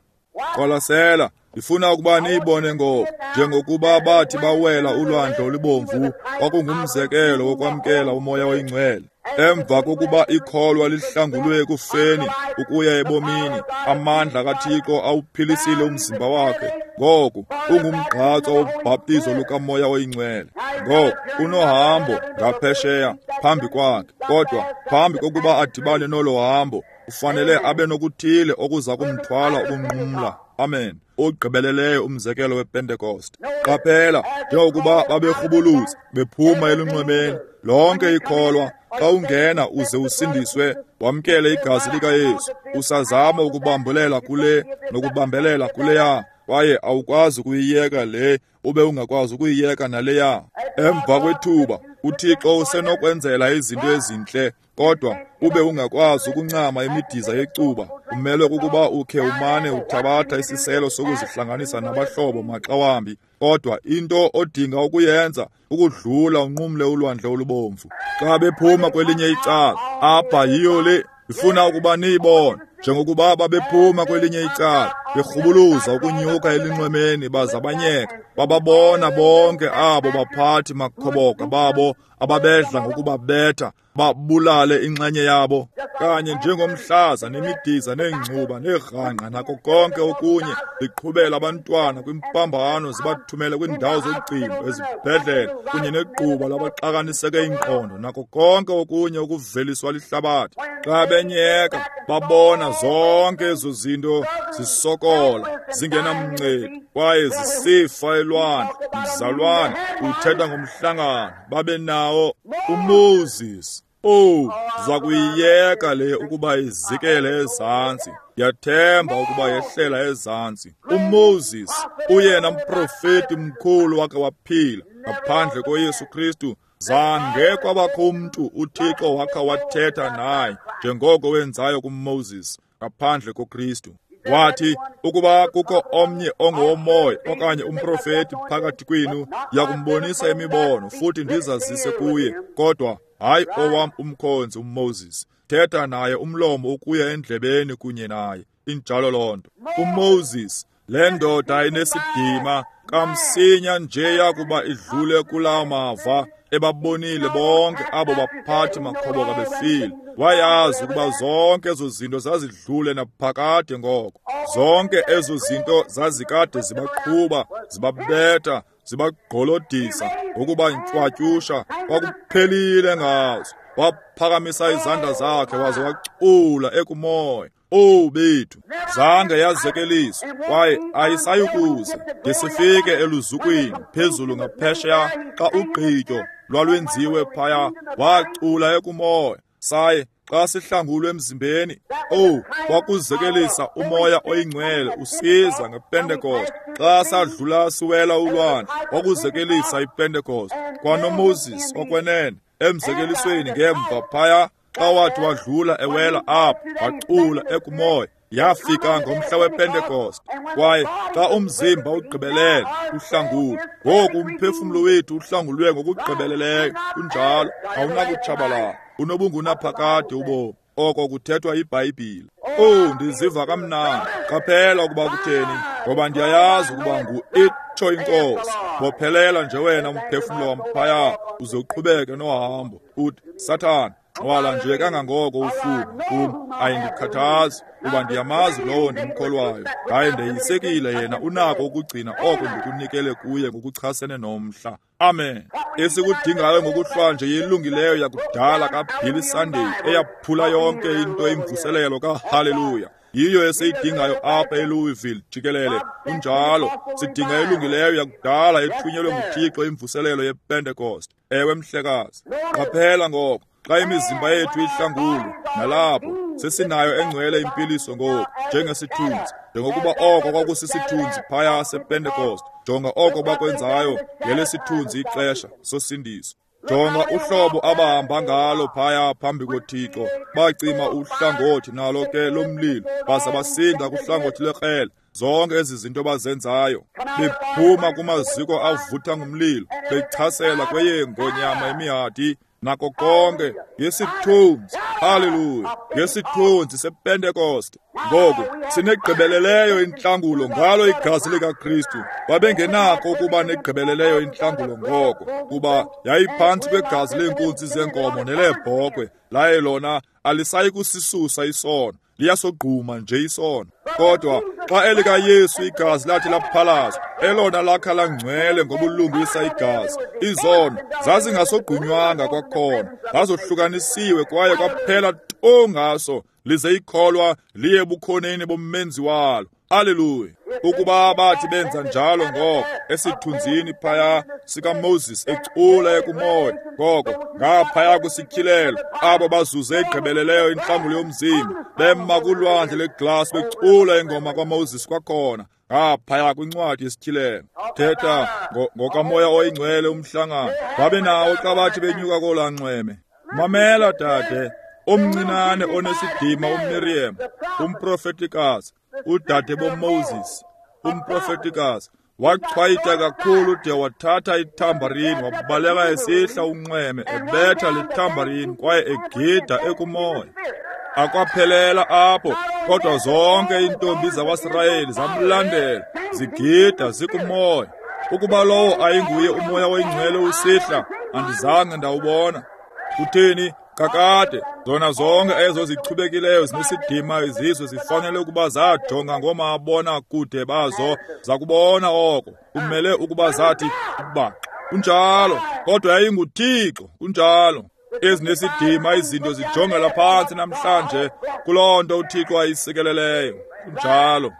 Qwalasela, ndifuna ukuba niyibone ngoku, njengokuba bathi bawela ulwandle olubomvu, kwakungumzekelo wokwamkela umoya oyingcwele. Emva kokuba ikholwa lihlangulwe ekufeni ukuya ebomini, amandla kaThixo awuphilisile umzimba wakhe. Ngoku ungumgqatso wobhaptizo lukamoya oyingcwele. Ngoku unohambo ngaphesheya phambi kwakhe, kodwa phambi kokuba adibane nolo hambo, ufanele abe nokuthile okuza kumthwala ukunqumla. Amen. Ogqibeleleyo umzekelo wePentekoste. Qaphela, njengokuba baberhubuluza bephuma elunxwemeni, lonke ikholwa xa ungena uze usindiswe, wamkele igazi likaYesu, usazama ukubambelela kule nokubambelela kuleya, kwaye awukwazi ukuyiyeka le ube ungakwazi ukuyiyeka naleya. Emva kwethuba uThixo usenokwenzela izinto ezintle, kodwa ube ungakwazi ukuncama imidiza yecuba. Umelwe kukuba ukhe umane uthabatha isiselo sokuzihlanganisa nabahlobo maxa wambi, kodwa into odinga ukuyenza ukudlula unqumle ulwandle olubomvu. Xa bephuma kwelinye icala, apha yiyo le ifuna ukuba niyibone. Njengokuba babephuma kwelinye icala, berhubuluza ukunyuka elinxwemeni, bazabanyeka, bababona bonke abo baphathi makhoboka babo ababedla ngokubabetha, babulale inxenye yabo, kanye njengomhlaza nemidiza neengcuba neerhangqa nako konke okunye, liqhubela abantwana kwimpambano, zibathumele kwiindawo zogcino, ezibhedlele, kunye negquba labaxakaniseke ingqondo nako konke okunye okuveliswa lihlabathi. Xa benyeka, babona zonke ezo zinto zisokola, zingenamncedi, kwaye zisifa elwandle. Mzalwane, uthetha ngomhlangano babe nawo uMoses. Oh, zakuyiyeka le ukuba izikele ezantsi. Ndiyathemba ukuba yehlela ezantsi. uMoses, uyena mprofeti mkhulu wake waphila ngaphandle koYesu Kristu, zange kwabakho umntu uThixo wakha wathetha naye njengoko wenzayo kuMoses ngaphandle koKristu. Wathi, ukuba kukho omnye ongowomoya okanye umprofeti phakathi kwenu, ndiyakumbonisa imibono futhi ndizazise kuye, kodwa hayi owam umkhonzi uMoses. Thetha naye umlomo ukuya endlebeni kunye naye. Injalo loo nto. UMoses, le ndoda inesidima, kamsinya nje yakuba idlule kulaa mava, ebabonile bonke abo baphathi makhoboka befile. Wayazi ukuba zonke ezo zinto zazidlule naphakade ngoko. Zonke ezo zinto zazikade zibaqhuba, zibabetha, zibagqolodisa, ukuba ntshwatyusha, kwakuphelile ngazo. Waphakamisa izandla zakhe waze wacula ekumoya. Owu bethu, zange yazekeliswa kwaye ayisayukuze de sifike eluzukwini phezulu ngaphesheya xa ugqityo lwalwenziwe phaya. Wacula ekumoya. Saye xa sihlangulwe emzimbeni, owu, kwakuzekelisa uMoya oyiNgcwele usiza ngePentekoste. Xa sadlula siwela ulwandle, kwakuzekelisa iPentekoste. KwanoMoses okwenene emzekelisweni ngemva phaya, xa wathi wadlula ewela apho, wacula ekumoya. Yafika ngomhla wePentekoste. Kwaye xa umzimba ugqibelele uhlangulwe, ngoku umphefumlo wethu uhlangulwe ngokugqibeleleyo. Kunjalo, awunakutshabalala, unobungunaphakade ubomi. Oko kuthethwa yiBhayibhile. Owu, ndiziva kamnandi. Qaphela ukuba kutheni, ngoba ndiyayazi ukuba ngu itsho iNkosi. Bophelela nje wena umphefumlo wam phaya, uze uqhubeke nohambo. Uthi, Sathana, wala nje kangangoko ufuna kum, ayindikhathazi, kuba ndiyamazi lowo ndimkholwayo, ndaye ndeyisekile yena unako ukugcina oko ndikunikele kuye ngokuchasene nomhla. Amen. Esikudingayo ngokuhlwanje yelungileyo yakudala kaBilly Sunday eyaphula yonke into imvuselelo kaHaleluya. Yiyo esiyidingayo apha eLouisville jikelele. Kunjalo, sidinga elungileyo yakudala ethunyelwe nguThixo imvuselelo yePentecost. Ewe mhlekazi. Qaphela ngoko, xa imizimba yethu ihlangulwe, nalapho sesinayo engcwele impiliso ngoku njengesithunzi, njengokuba oko kwakusisithunzi phaya sePentecost. Jonga oko bakwenzayo ngelesithunzi ixesha sosindiso. Jonga uhlobo abahamba ngalo phaya phambi koThixo. Bacima uhlangothi nalo ke lomlilo, baza basinda kuhlangothi lwekrele. Zonke ezi zinto bazenzayo, bephuma kumaziko avutha ngumlilo, bechasela kweyengonyama imihadi, nako konke ngesithunzi. Haleluya, ngesithunzi sePentekoste. Ngoku sinegqibeleleyo intlangulo ngalo igazi likaKristu. Babengenako ukuba negqibeleleyo intlangulo ngoko, kuba yayiphantsi kwegazi leenkunzi zenkomo neleebhokhwe, laye lona alisayi kusisusa isono, liyasogquma nje isono. Kodwa xa elikaYesu igazi lathi laphalazwa, elona lakha langcwele ngobulungisa igazi, izono zazingasogqunywanga kwakhona, zazohlukanisiwe kwaye kwaphela tu ngaso, lize ikholwa liye ebukhoneni bommenzi walo. Haleluya. Ukuba bathi benza njalo ngoko esithunzini phaya sikaMoses ecula ekumoya, ngoko ngaphaya kwisityhilelo, abo bazuze igqibeleleyo intlangulo yomzimba bema kulwandle leglasi becula ingoma kaMoses kwakhona ngaphaya kwincwadi yesityhilelo. Thetha ngokaMoya oyiNgcwele umhlangano babe nawo xa bathi benyuka kolaa nxweme. Mamela dade omncinane onesidima uMiriam, umprofetikazi, udade boMoses, umprofetikazi, wachwayita kakhulu de wathatha ithambarini wabaleka esihla unxweme ebetha le thambarini kwaye egida ekumoya. Akwaphelela apho, kodwa zonke iintombi zakwaSirayeli zamlandela zigida zikumoya. Ukuba lowo ayinguye uMoya oyiNgcwele usihla, andizange ndawubona. Kutheni? Kakade, zona zonke ezo zichubekileyo zinesidima izizwe zifanele ukuba zajonga ngoomabona kude bazo, zakubona oko. Kumele ukuba zathi baxa. Kunjalo, kodwa yayinguThixo, kunjalo. Ezinesidima izinto zijongela phantsi namhlanje kuloo nto uThixo ayisikeleleyo. Kunjalo.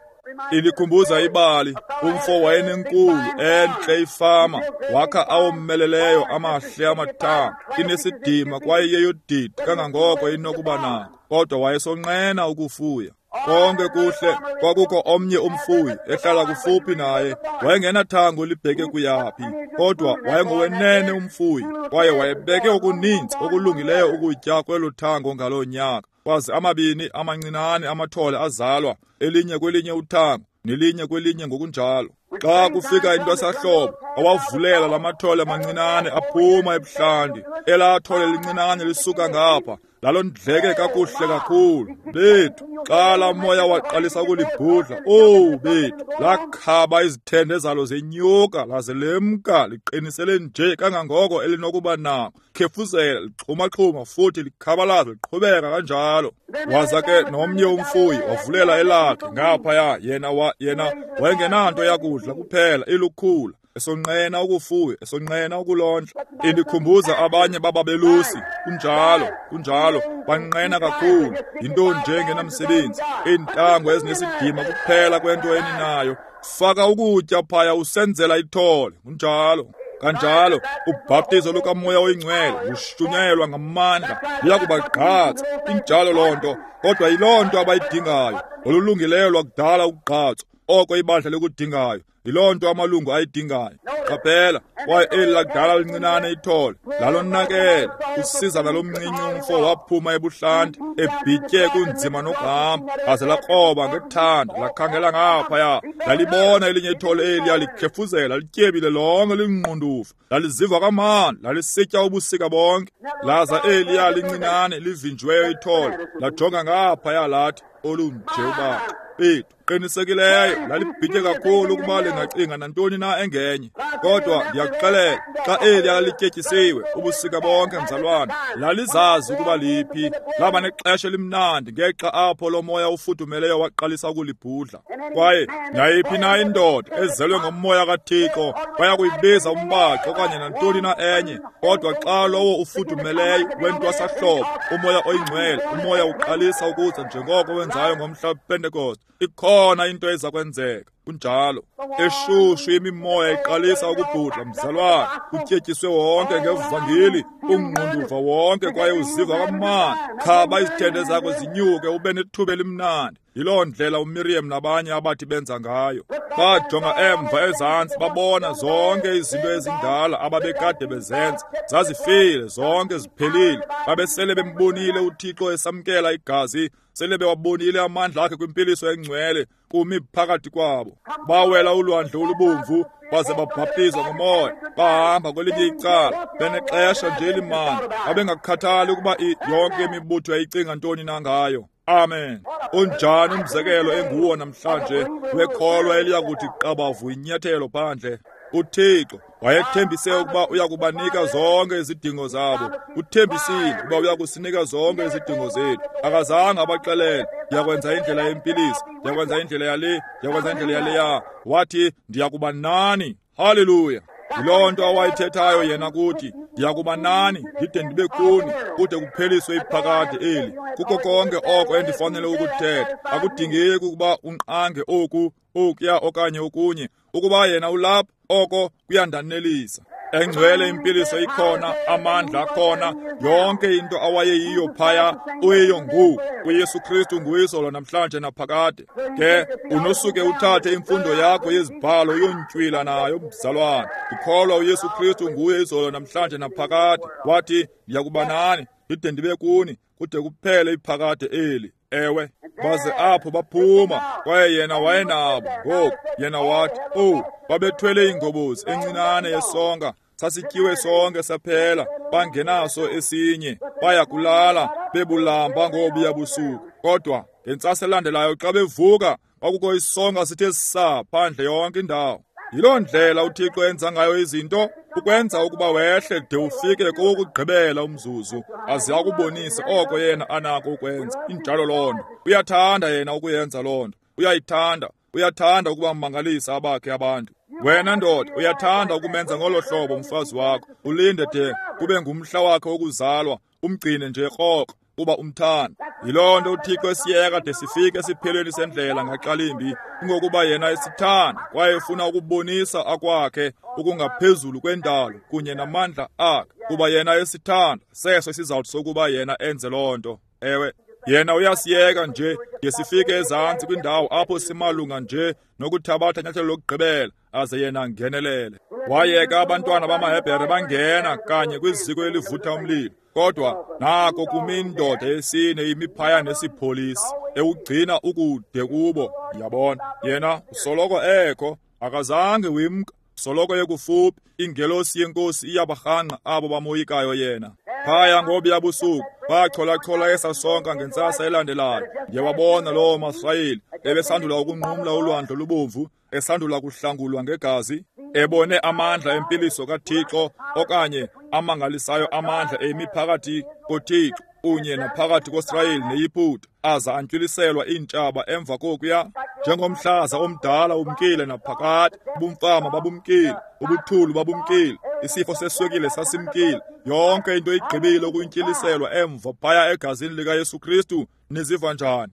Ilikhumbuza ibali, umfo wayenenkulu entle ifama, wakha awomeleleyo amahle amathango, inesidima kwaye yeyodidi kangangoko inokuba nako, kodwa wayesonqena ukufuya. Konke kuhle, kwakukho omnye umfuyi ehlala kufuphi naye, wayengenathango libheke kuyaphi, kodwa wayengowenene umfuyi, kwaye wayebeke okuninzi okulungileyo ukutya kwelo thango ngaloo nyaka. Kwaze amabini amancinane amathole azalwa, elinye kwelinye uthango, nelinye kwelinye ngokunjalo. Xa kufika intwasahlobo, awavulela lamathole amancinane aphuma ebuhlanti. Elaa thole lincinane lisuka ngapha, lalondleke kakuhle kakhulu. Bethu, xa laa moya waqalisa ukulibhudla, owu bethu, lakhaba izithende zalo zenyuka, laze lemka liqinisele nje kangangoko elinokuba nako. Khefuzela, lixhumaxhuma futhi likhabalaza liqhubeka kanjalo. Waza ke nomnye umfuyi wavulela elakhe ngaphaya, yena wa, yena wayengenanto yakudla kuphela ilukhula, esonqena ukufuya, esonqena ukulondla. Indikhumbuza abanye bababelusi, kunjalo, kunjalo, banqena kakhulu, yinto nje engenamsebenzi, iintango ezinesidima kuphela kwento eninayo. Faka ukutya phaya usenzela ithole, kunjalo. Kanjalo, ubhaptizo lukaMoya oyiNgcwele lushunyayelwa ngamandla, luyakubagqatsa. Injalo loo nto, kodwa yiloo nto abayidingayo, olulungileyo lwakudala ukugqatswa, oko ibandla likudingayo. Yiloo nto amalungu ayidingayo. Qaphela, kwaye eli lakudala lincinane ithole lalonakele. Usizana lomncinci umfo waphuma ebuhlanti, ebhitye kunzima nokuhamba, laze lakroba ngethanda, lakhangela ngaphaya. Lalibona elinye ithole eliya likhefuzela, lityebile lonke, lingqundufu, laliziva kamandi, lalisitya ubusika bonke. Laza eliya lincinane livinjiweyo ithole lajonga ngaphaya lathi, olunje ubaxa bethu. Qinisekileyo lalibhitye kakhulu ukuba lingacinga nantoni na engenye. Kodwa ndiyakuxelela, xa eliya lityetyisiwe ubusika bonke, mzalwana, lalizazi ukuba liphi. Laba nexesha elimnandi ngexa apho lo moya ufudumeleyo waqalisa ukulibhudla. Kwaye nayiphi na indoda ezelwe ngomoya kaThixo baya kuyibiza umbaxo okanye nantoni na enye, kodwa xa lowo ufudumeleyo wentwasahlobo, umoya oyingcwele, umoya uqalisa ukuza njengoko wenzayo ngomhla wePentekoste, ikhona into eza kwenzeka. Kunjalo. Eshushu imimoya iqalisa ukubhudla, mzalwana, utyetyiswe wonke ngevangeli, ungqunduva wonke kwaye uziva kamnandi. Khaba izithende zakho zinyuke ube nethuba elimnandi. Yiloo ndlela uMiriam nabanye abathi benza ngayo. Bajonga emva ezantsi, babona zonke izinto ezindala ababekade bezenza. Zazifile, zonke ziphelile. Babesele bembonile uThixo esamkela igazi, sele bewabonile amandla akhe kwimpiliso engcwele kumi phakathi kwabo. Bawela ulwandle olubomvu, baze babhaptizwa ngomoya, bahamba kwelinye icala, benexesha nje elimandi. Babengakhathali ukuba yonke imibutho yayicinga ntoni na ngayo. Amen. Unjani umzekelo enguwo namhlanje wekholwa eliya kuthi qabavu inyathelo phandle. UThixo wayethembise ukuba uya kubanika zonke izidingo zabo. Uthembisile ukuba uya kusinika zonke izidingo zethu. Akazange abaxelele, ndiyakwenza indlela yempiliso, ndiyakwenza indlela yale, ndiyakwenza indlela yaleya. Wathi, ndiyakuba nani. Haleluya. Yiloo nto awayithethayo yena kuthi, ndiyakuba nani ndide ndibe kuni kude kupheliswe iphakade eli. Kuko konke oko endifanele ukuthetha. Akudingeki ukuba unqange oku, okuya okanye okunye. Ukuba yena ulapha, oko kuyandanelisa. Engcwele impiliso ikhona, amandla akhona, yonke into awayeyiyo phaya uyiyo ngoku. UYesu Kristu nguyizolo namhlanje naphakade. Ke unosuke uthathe imfundo yakho yezibhalo uyontywila nayo, mzalwana. Ndikholwa uYesu Kristu nguye izolo namhlanje naphakade. Wathi, ndiyakuba nani ndide ndibe kuni kude kuphele iphakade eli. Ewe, baze apho baphuma, kwaye yena wayenabo. Ngoku yena wathi, owu, babethwele ingobozi encinane yesonka, sasityiwe sonke saphela, bangenaso esinye, baya kulala bebulamba ngobuya busuku. Kodwa ngentsasa elandelayo xa bevuka, kwakukho isonka sithe saa phandle yonke indawo. Yiloo ndlela uThixo enza ngayo izinto, ukwenza ukuba wehle de ufike kowokugqibela umzuzu, aze akubonise oko yena anako ukwenza. Injalo loo nto. Uyathanda yena ukuyenza loo nto. Uyayithanda. Uyathanda ukuba mmangalisa abakhe abantu. Wena ndoda, uyathanda ukumenza ngolo hlobo umfazi wakho. Ulinde de kube ngumhla wakhe wokuzalwa, umgcine nje rhoqo kuba umthanda. Yiloo nto uThixo esiyeka de sifike esiphelweni sendlela ngaxa limbi, kungokuba yena esithanda kwaye efuna ukubonisa akwakhe okungaphezulu kwendalo kunye namandla akhe. Kuba yena esithanda, seso isizathu sokuba yena enze loo nto. Ewe, yena uyasiyeka nje de sifike ezantsi kwindawo apho simalunga nje nokuthabatha inyathelo lokugqibela, aze yena angenelele. Wayeka abantwana bamaHebhere bangena kanye kwiziko elivutha umlilo. Kodwa nako kumi indoda yesine imi phaya nesipholisi, ewugcina ukude kubo. Yabona, yena usoloko ekho, akazange wimka, soloko yekufuphi. Ingelosi yenkosi iyabarhangqa abo bamoyikayo yena. Phaya ngobuya busuku bacholachola esasonka ngentsasa elandelayo. Ndiyawabona loo maSirayeli ebesandula ukunqumla ulwandle olubomvu, esandula kuhlangulwa ngegazi, ebone amandla empiliso kaThixo okanye amangalisayo amandla emi phakathi koThixo kunye naphakathi koSirayeli neYiputa, aza antywiliselwa iintshaba emva kokuya. Njengomhlaza omdala umkile naphakade, ubumfama babumkile, ubuthulu babumkile, isifo seswekile sasimkile, yonke into igqibile ukuntyiliselwa emva phaya egazini likaYesu Kristu. Niziva njani?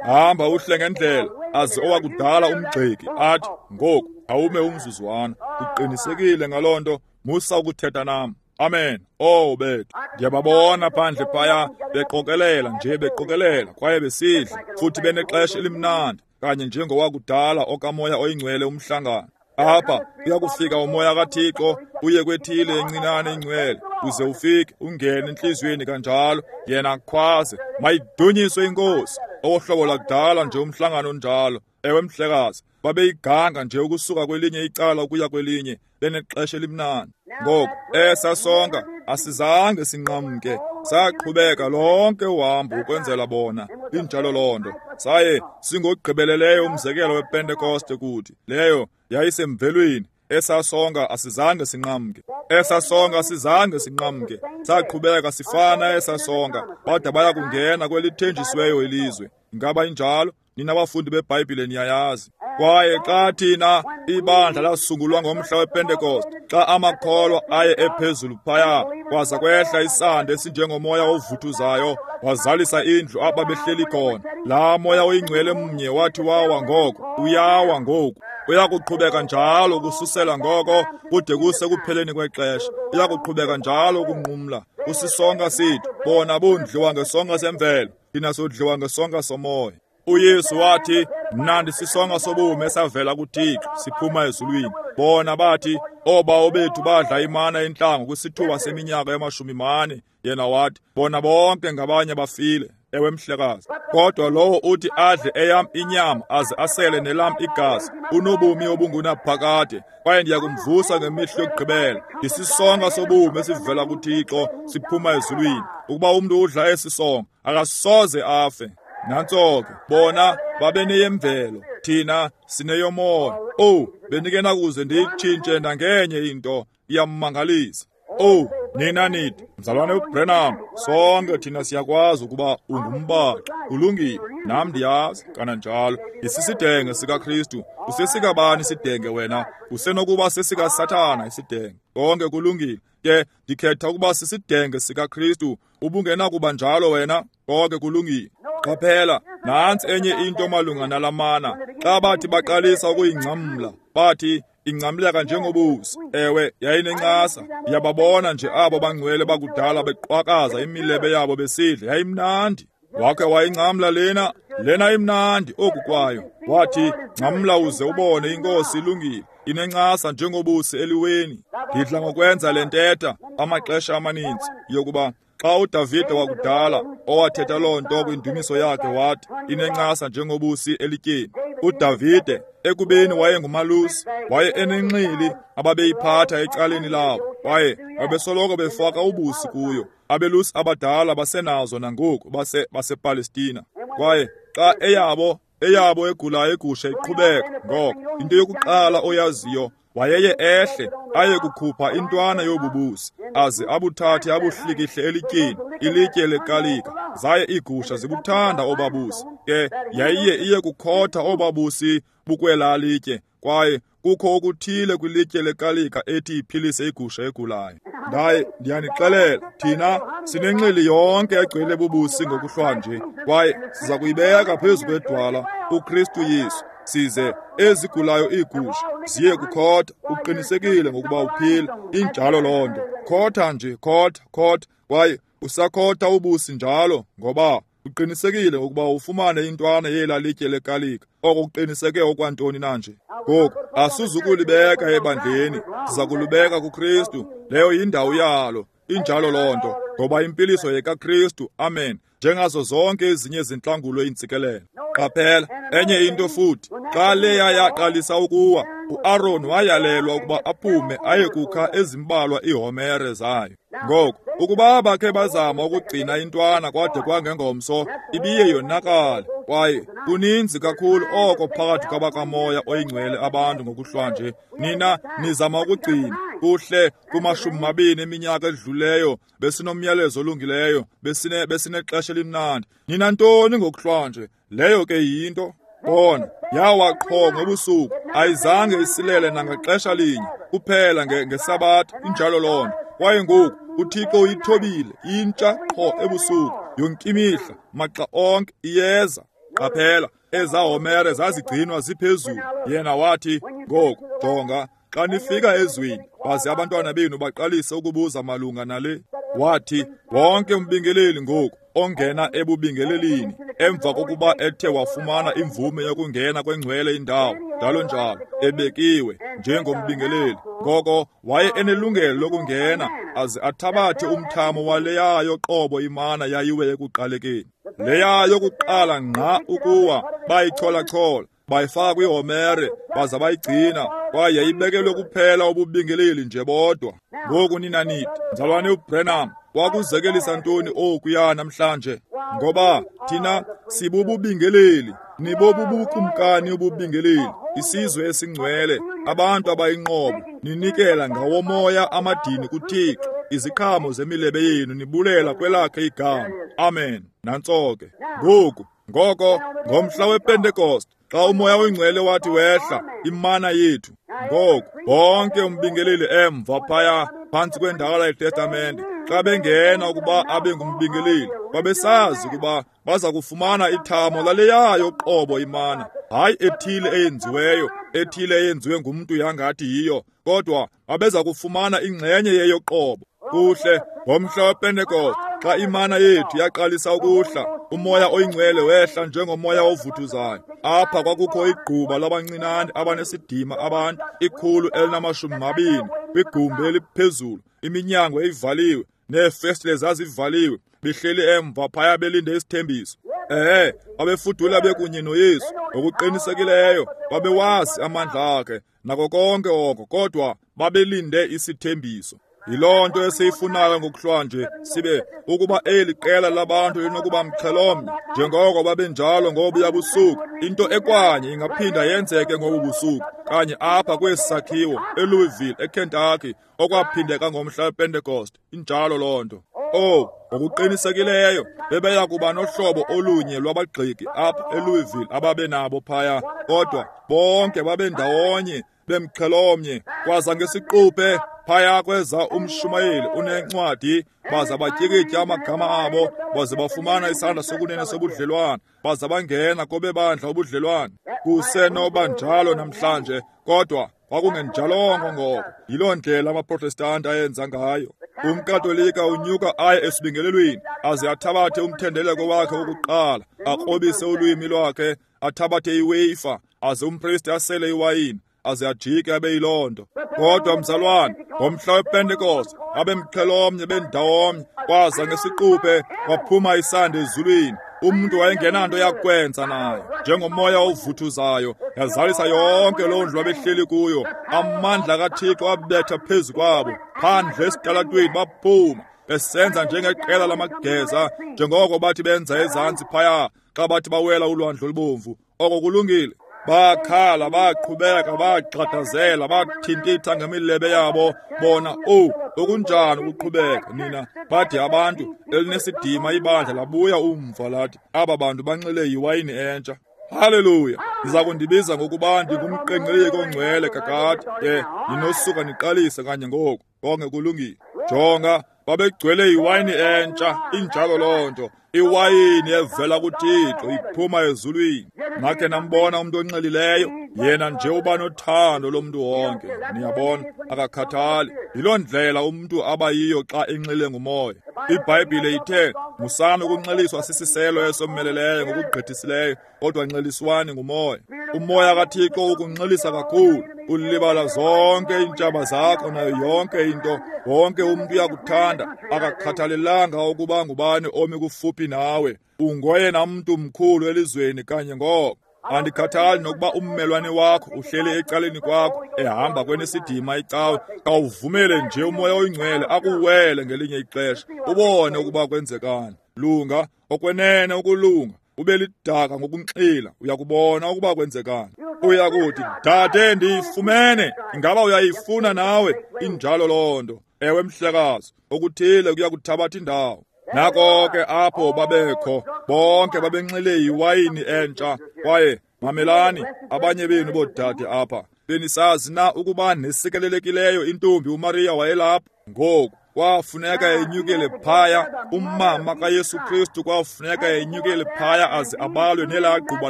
Hamba uhle ngendlela, aze owakudala umgxeki athi, ngoku awume umzuzwana, uqinisekile ngaloo nto, musa ukuthetha nam. Amen. Oh bethu, ndiyababona phandle phaya beqokelela nje, beqokelela kwaye besidla futhi benexesha elimnandi, kanye njengowakudala okamoya oyingcwele umhlangano. Apha uyakufika umoya kaThixo uye kwethile encinane ingcwele, uze ufike ungene entliziyweni kanjalo, yena akhwaze, mayidunyiswe inkosi. Owohlobo lakudala nje umhlangano onjalo. Ewe mhlekazi, babeyiganga nje ukusuka kwelinye icala ukuya kwelinye, benexesha elimnandi. Ngoku esa sonka asizange sinqamke, saqhubeka lonke uhambo ukwenzela bona. Injalo loo nto. Saye singogqibeleleyo umzekelo wePentekoste kuthi. Leyo yayisemvelweni. Esa sonka asizange sinqamke, esa sonka asizange sinqamke, saqhubeka sifana esa sonka bada baya kungena kwelithenjisiweyo ilizwe. Ingaba injalo? Nina bafundi beBhayibhile niyayazi. Kwaye xa thina ibandla lasungulwa ngomhla wePentekoste, xa amakholwa aye ephezulu phaya, kwaza kwehla isandi esinjengomoya ovuthuzayo, wazalisa indlu apha behleli khona. Laa moya oyingcwele mnye wathi wawa ngoko, uyawa ngoku. Uyakuqhubeka njalo ukususela ngoko kude kuse kupheleni kwexesha. Uyakuqhubeka njalo ukunqumla. Usisonka sethu, bona bondliwa ngesonka semvelo, thina sodliwa ngesonka somoya. UYesu wathi, mna ndisisonka sobomi esavela kuThixo siphuma ezulwini. Bona bathi, oobawo bethu badla imana entlango kwisithuba seminyaka yamashumi mane. Yena wathi, bona bonke ngabanye bafile. Ewe mhlekazi. Kodwa lowo uthi adle eyam inyama aze asele nelam igazi unobomi obungunaphakade, kwaye ndiyakumvusa ngemihla yokugqibela. Ndisisonka sobomi esivela kuThixo siphuma ezulwini. Ukuba umntu udla esi sonka akasoze afe. Nantso ke, bona babeneyemvelo, thina sineyomoya. Oh, bendingenakuze ndiyitshintshe nangenye into, iyammangalisa. Oh, nina nithi, mzalwane uBrenham, sonke thina siyakwazi ukuba ungumbaxi. Ulungile, nam ndiyazi kananjalo. Isisidenge sikaKristu. Usesikabani isidenge wena? Usenokuba sesikaSathana isidenge. Konke kulungile. Ke ndikhetha ukuba sisidenge sikaKristu. Ubungenakuba njalo wena? Konke kulungile. Qaphela, nantsi enye into malunga nalamana. Xa bathi baqalisa ukuyingcamla, bathi ingcamleka njengobusi. Ewe, yayinencasa. Ndiyababona nje abo bangcwele bakudala beqwakaza imilebe yabo besidla. Yayimnandi. Wakhe wayingcamla lena, lena imnandi oku kwayo. Wathi, ngcamla uze ubone inkosi ilungile, inencasa njengobusi eliweni. Ndidla ngokwenza le ntetha amaxesha amaninzi yokuba xa uDavide wakudala owathetha loo nto kwindumiso yakhe wathi inencasa njengobusi elityeni. uDavide ekubeni wayengumalusi, waye enenxili ababeyiphatha ecaleni labo, kwaye babesoloko befaka ubusi kuyo. Abelusi abadala basenazo nangoku base basePalestina. Kwaye xa eyabo eyabo egulayo igusha iqhubeka ngoko, into yokuqala oyaziyo wayeye ehle aye kukhupha intwana yobubusi, aze abuthathe abuhlikihle elityeni, ilitye lekalika. Zaye iigusha zibuthanda obabusi. Ke yayiye iye kukhotha obabusi bukwelaa litye, kwaye kukho okuthile kwilitye lekalika ethi iphilise igusha egulayo. Ndaye ndiyanixelela, thina sinenxili yonke egcwele bubusi ngokuhlwanje, kwaye siza kuyibeka phezu kwedwala uKristu Yesu, size ezigulayo iigusha ziye kukhotha. Uqinisekile ngokuba uphila. Injalo loo nto. Khotha nje, khotha, khotha, kwaye usakhotha ubusi njalo, ngoba uqinisekile ngokuba ufumane intwana yela litye lekalika. Oko kuqiniseke okwantoni na nje? Ngoku asizukulibeka ebandleni, siza kulibeka kuKristu. Leyo yindawo yalo. Injalo loo nto, ngoba impiliso yekaKristu, amen, njengazo zonke ezinye izintlangulo iintsikelelo. Qaphela, enye into futhi, xa leya yaqalisa ukuwa, uAron wayalelwa ukuba aphume aye kukha ezimbalwa iihomere zayo. Ngoku, ukuba bakhe bazama ukugcina intwana kwade kwangengomso, ibiye yonakale. Kwaye kuninzi kakhulu oko phakathi kwabakamoya oyingcwele abantu ngokuhlwanje. Nina nizama ukugcina kuhle kumashumi mabini eminyaka edluleyo, besinomyalezo olungileyo, besine besinexesha elimnandi. Nina ntoni ngokuhlwanje? Leyo ke yinto. Bona, yawa qho ngobusuku, ayizange isilele nangaxesha linye, kuphela ngeSabatha, injalo loo nto. Kwaye ngoku uThixo uyithobile intsha qho ebusuku, yonke imihla, maxa onke iyeza. Qaphela, ezaa homere zazigcinwa ziphezulu. Yena wathi, ngoku jonga, xa nifika ezweni, baze abantwana benu baqalise ukubuza malunga nale. Wathi, wonke umbingeleli ngoku ongena ebubingelelini emva kokuba ethe wafumana imvume yokungena kwengcwele indawo, njalo njalo, ebekiwe njengombingeleli, ngoko waye enelungelo lokungena aze athabathe umthamo waleyayo qobo imana yayiwe ekuqalekeni. Leya yokuqala ngqa ukuwa, bayichola-chola, bayifaka kwihomere, baza bayigcina, kwaye yayibekelwe kuphela ububingeleli nje bodwa. Ngoku nina nithi, mzalwane uBranham, wakuzekelisa ntoni okuya namhlanje? Ngoba thina sibububingeleli, nibobubukumkani ububingeleli, isizwe esingcwele, abantu abayinqobo, ninikela ngawomoya amadini kuThixo, iziqhamo zemilebe yenu nibulela kwelakhe igama. Amen. Nantso ke. Ngoku, ngoko ngomhla wePentekoste, xa umoya oyingcwele wathi wehla, imana yethu. Ngoku bonke umbingeleli emva phaya phantsi kwendala yeTestamente, xa bengena ukuba abe ngumbingeleli, babesazi ukuba baza kufumana ithamo laleyayo qobo imana, hayi ethile eyenziweyo, ethile eyenziwe ngumntu yangathi yiyo, kodwa babeza kufumana ingxenye yeyoqobo. Kuhle, ngomhla wePentekoste, xa imana yethu yaqalisa ukuhla, umoya oyingcwele wehla njengomoya ovuthuzayo. Apha kwakukho igquba labancinane abanesidima abantu, ikhulu elinamashumi mabini, kwigumbi eliphezulu, iminyango ivaliwe, neefestile zazivaliwe, behleli emva phaya belinde isithembiso. Ehe, babefudula bekunye noYesu, ngokuqinisekileyo babewazi amandla akhe nako konke oko, kodwa babelinde isithembiso. Yiloo nto esiyifunayo ngokuhlwanje, sibe ukuba eli qela labantu linokuba mxhelomnye njengoko babenjalo ngobuya busuku. Into ekwanye ingaphinda yenzeke ngobu busuku, kanye apha kwesi sakhiwo eLouisville, eKentucky, okwaphindeka ngomhla wePentekoste. Injalo loo nto. Oh, ngokuqinisekileyo bebeya kuba nohlobo olunye lwabagxeki apha eLouisville ababenabo phaya, kodwa bonke babendawonye bemxhelomnye. Kwaza ngesiquphe phaya kweza umshumayeli unencwadi, baza batyikitya amagama abo, baze bafumana isandla sokunene sobudlelwane, baza bangena kobebandla ubudlelwane. Kusenoba njalo namhlanje, kodwa kwakungenjalongo ngoko. Yiloo ndlela amaProtestanti ayenza ngayo. UmKatolika unyuka aye esibingelelweni, aze athabathe umthendeleko wakhe wokuqala, akrobise ulwimi lwakhe, athabathe iweyifa, aze umpristi asele iwayini, aze ajike abe yiloo nto. Kodwa mzalwane, ngomhla wePentekoste abemxhelomnye bendawomnye, kwaza ngesiquphe kwaphuma isandi ezulwini. Umntu wayengenanto yakwenza nayo, njengomoya ovuthuzayo, yazalisa yonke loo ndlu abehleli kuyo. Amandla kaThixo abetha phezu kwabo, phandle esitalatweni baphuma, besenza njengeqela lamageza, njengoko bathi benza ezantsi phaya xa bathi bawela ulwandle olubomvu. Oko kulungile. Bakhala, baqhubeka, bagxadazela, bathintitha ngemilebe yabo. Bona, oh, okunjani ukuqhubeka nina. Bathi abantu elinesidima ibandla labuya umva lathi, aba bantu banxile yiwayini entsha. Haleluya! Niza kundibiza ngokuba ndingumqengqeleki ongcwele kakade. Ke ninosuka niqalise kanye ngoku. Konke kulungile. Jonga, babegcwele iwayini entsha. Injalo loo nto. Iwayini evela kuThixo iphuma ezulwini. Nakhe nambona umntu onxilileyo? Yena nje uba nothando lomntu wonke, niyabona, akakhathali. Yiloo ndlela umntu abayiyo xa enxile ngumoya. IBhayibhile ithe, musani ukunxiliswa sisiselo esomeleleyo ngokugqithisileyo, kodwa nxiliswani ngumoya. Umoya kaThixo ukunxilisa kakhulu, ulibala zonke iintshaba zakho nayo yonke into. Wonke umntu uyakuthanda, akakhathalelanga ukuba ngubani omi kufuphi nawe. Ungoyena mntu mkhulu elizweni kanye ngoko. Andikhathali nokuba ummelwane wakho uhleli ecaleni kwakho ehamba kwenesidima icawe, kawuvumele nje umoya oyingcwele akuwele ngelinye ixesha, ubone ukuba kwenzekani. Lunga, okwenene ukulunga, ube lidaka ngokunxila, uyakubona ukuba kwenzekani. Uyakuthi, dade, ndiyifumene. Ingaba uyayifuna nawe? Injalo loo nto. Ewe mhlekazi, okuthile kuyakuthabatha indawo. Nako ke apho babekho, bonke babenxile yiwayini entsha. Kwaye mamelani, abanye benu boodade apha, benisazi na ukuba nesikelelekileyo intombi uMariya wayelapha? Ngoku kwafuneka enyukele phaya, umama kaYesu Kristu kwafuneka enyukele phaya aze abalwe nelaa gquba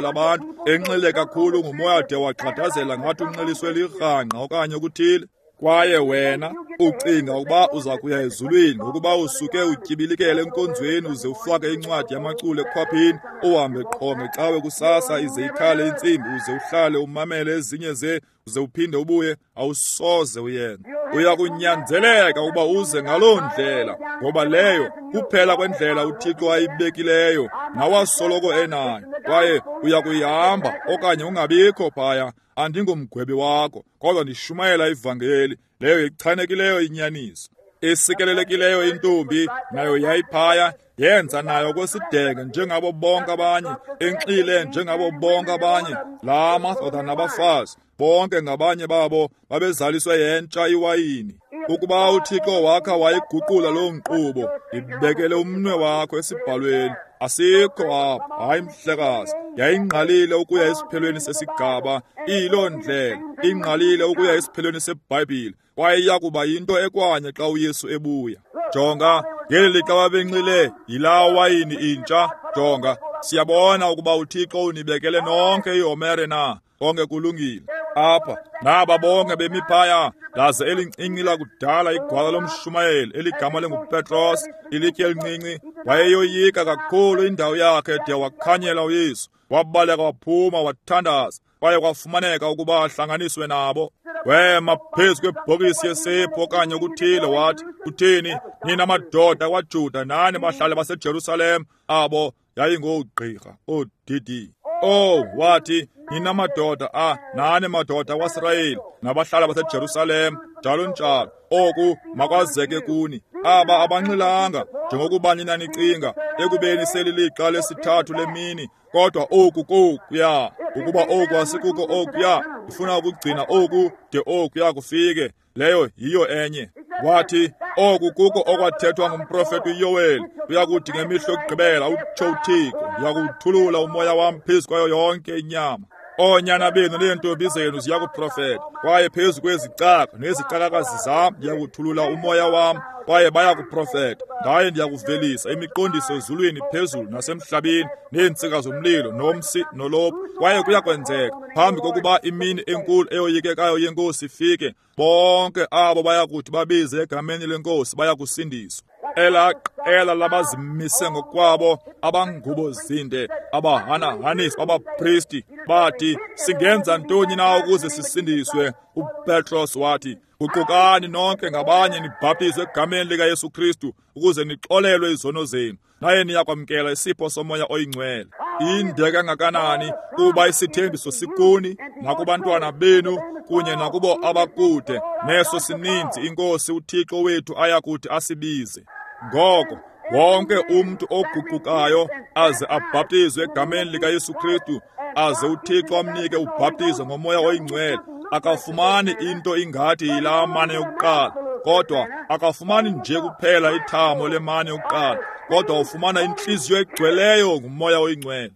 labantu, enxile kakhulu ngumoya de waxhathazela ngathi unxiliswe lirhangqa okanye okuthile. Kwaye wena ucinga ukuba uza kuya ezulwini ngokuba usuke utyibilikele enkonzweni uze ufake incwadi yamaculo ekhwaphini, uhambe qho ngecawe kusasa ize ikhale intsimbi, uze uhlale umamele ezinye ze, uze uphinde ubuye. Awusoze uyenze. Uya kunyanzeleka ukuba uze ngaloo ndlela, ngoba leyo kuphela kwendlela uThixo ayibekileyo nawasoloko enayo. Kwaye uya kuyihamba okanye ungabikho phaya. Andingomgwebi wakho, kodwa ndishumayela ivangeli leyo ichanekileyo inyaniso. Isikelelekileyo intombi nayo yayiphaya, yenza nayo kwesidenge njengabo bonke abanye, enxile njengabo bonke abanye. La madoda nabafazi bonke ngabanye babo babezaliswe yentsha iwayini. Ukuba uThixo wakha wayiguqula loo nkqubo, ndibekele umnwe wakho esibhalweni. Asikho apho, hayi mhlekazi. Yayingqalile ukuya esiphelweni sesigaba, iyiloo ndlela ingqalile ukuya esiphelweni seBhayibhile, kwaye iya kuba yinto ekwanye xa uYesu ebuya. Jonga, ngeli lixa babenxile yilaa wayini intsha. Jonga, siyabona ukuba uThixo unibekele nonke ihomere na, konke kulungile. Apha naba bonke bemi phaya, laze elincinci lakudala igwala lomshumayeli eligama linguPetros, ilitye elincinci, wayeyoyika kakhulu indawo yakhe de wakhanyela uYesu. Wabaleka waphuma wathandaza, kwaye kwafumaneka ukuba ahlanganiswe nabo. Wema phezu kwebhokisi yesephu okanye okuthile, wathi, uthini nina madoda kwaJuda nani bahlali baseJerusalem? Abo yayingoogqirha oodidi. Oh, wathi, nina madoda a nani madoda kwaSirayeli nabahlali baseJerusalem, njalo njalo, oku makwazeke kuni. Aba abanxilanga njengokuba nina nicinga, ekubeni selilixa lesithathu lemini, kodwa oku kokuya. Ukuba oku asikuko okuya, ndifuna ukugcina oku de okuya kufike. Leyo yiyo enye. Wathi, oku kuko okwathethwa ngumprofeti uYoweli, uyakuthi ngemihla yokugqibela, utsho uThixo, ndiyakuwuthulula umoya wam phezu kwayo yonke inyama. Oonyana benu neentombi zenu ziyakuprofeta, kwaye phezu kwezicaka nezicakakazi zam ndiyakuthulula umoya wam, kwaye bayakuprofeta. Ndaye ndiyakuvelisa imiqondiso ezulwini phezulu nasemhlabeni, neentsika zomlilo nomsi nolophu. Kwaye kuyakwenzeka phambi kokuba imini enkulu eyoyikekayo yeNkosi ifike, bonke abo bayakuthi babize egameni leNkosi bayakusindiswa. Elaa qela labazimise ngokwabo, abangubo zinde, abahanahanisi abapristi, bathi, singenza ntoni na ukuze sisindiswe? UPetros wathi, guqukani nonke ngabanye nibhaptizwe egameni likaYesu Kristu ukuze nixolelwe izono zenu, naye niyakwamkela isipho somoya oyingcwele. Inde kangakanani kuba isithembiso sikuni nakubantwana benu kunye nakubo abakude, neso sininzi iNkosi uThixo wethu ayakuthi asibize. Ngoko wonke umntu oguqukayo aze abhaptizwe egameni likaYesu Kristu, aze uThixo amnike ubhaptizo ngomoya oyingcwele, akafumani into ingathi yilaa mane yokuqala, kodwa akafumani nje kuphela ithamo lemane yokuqala, kodwa ufumana intliziyo egcweleyo ngumoya oyingcwele.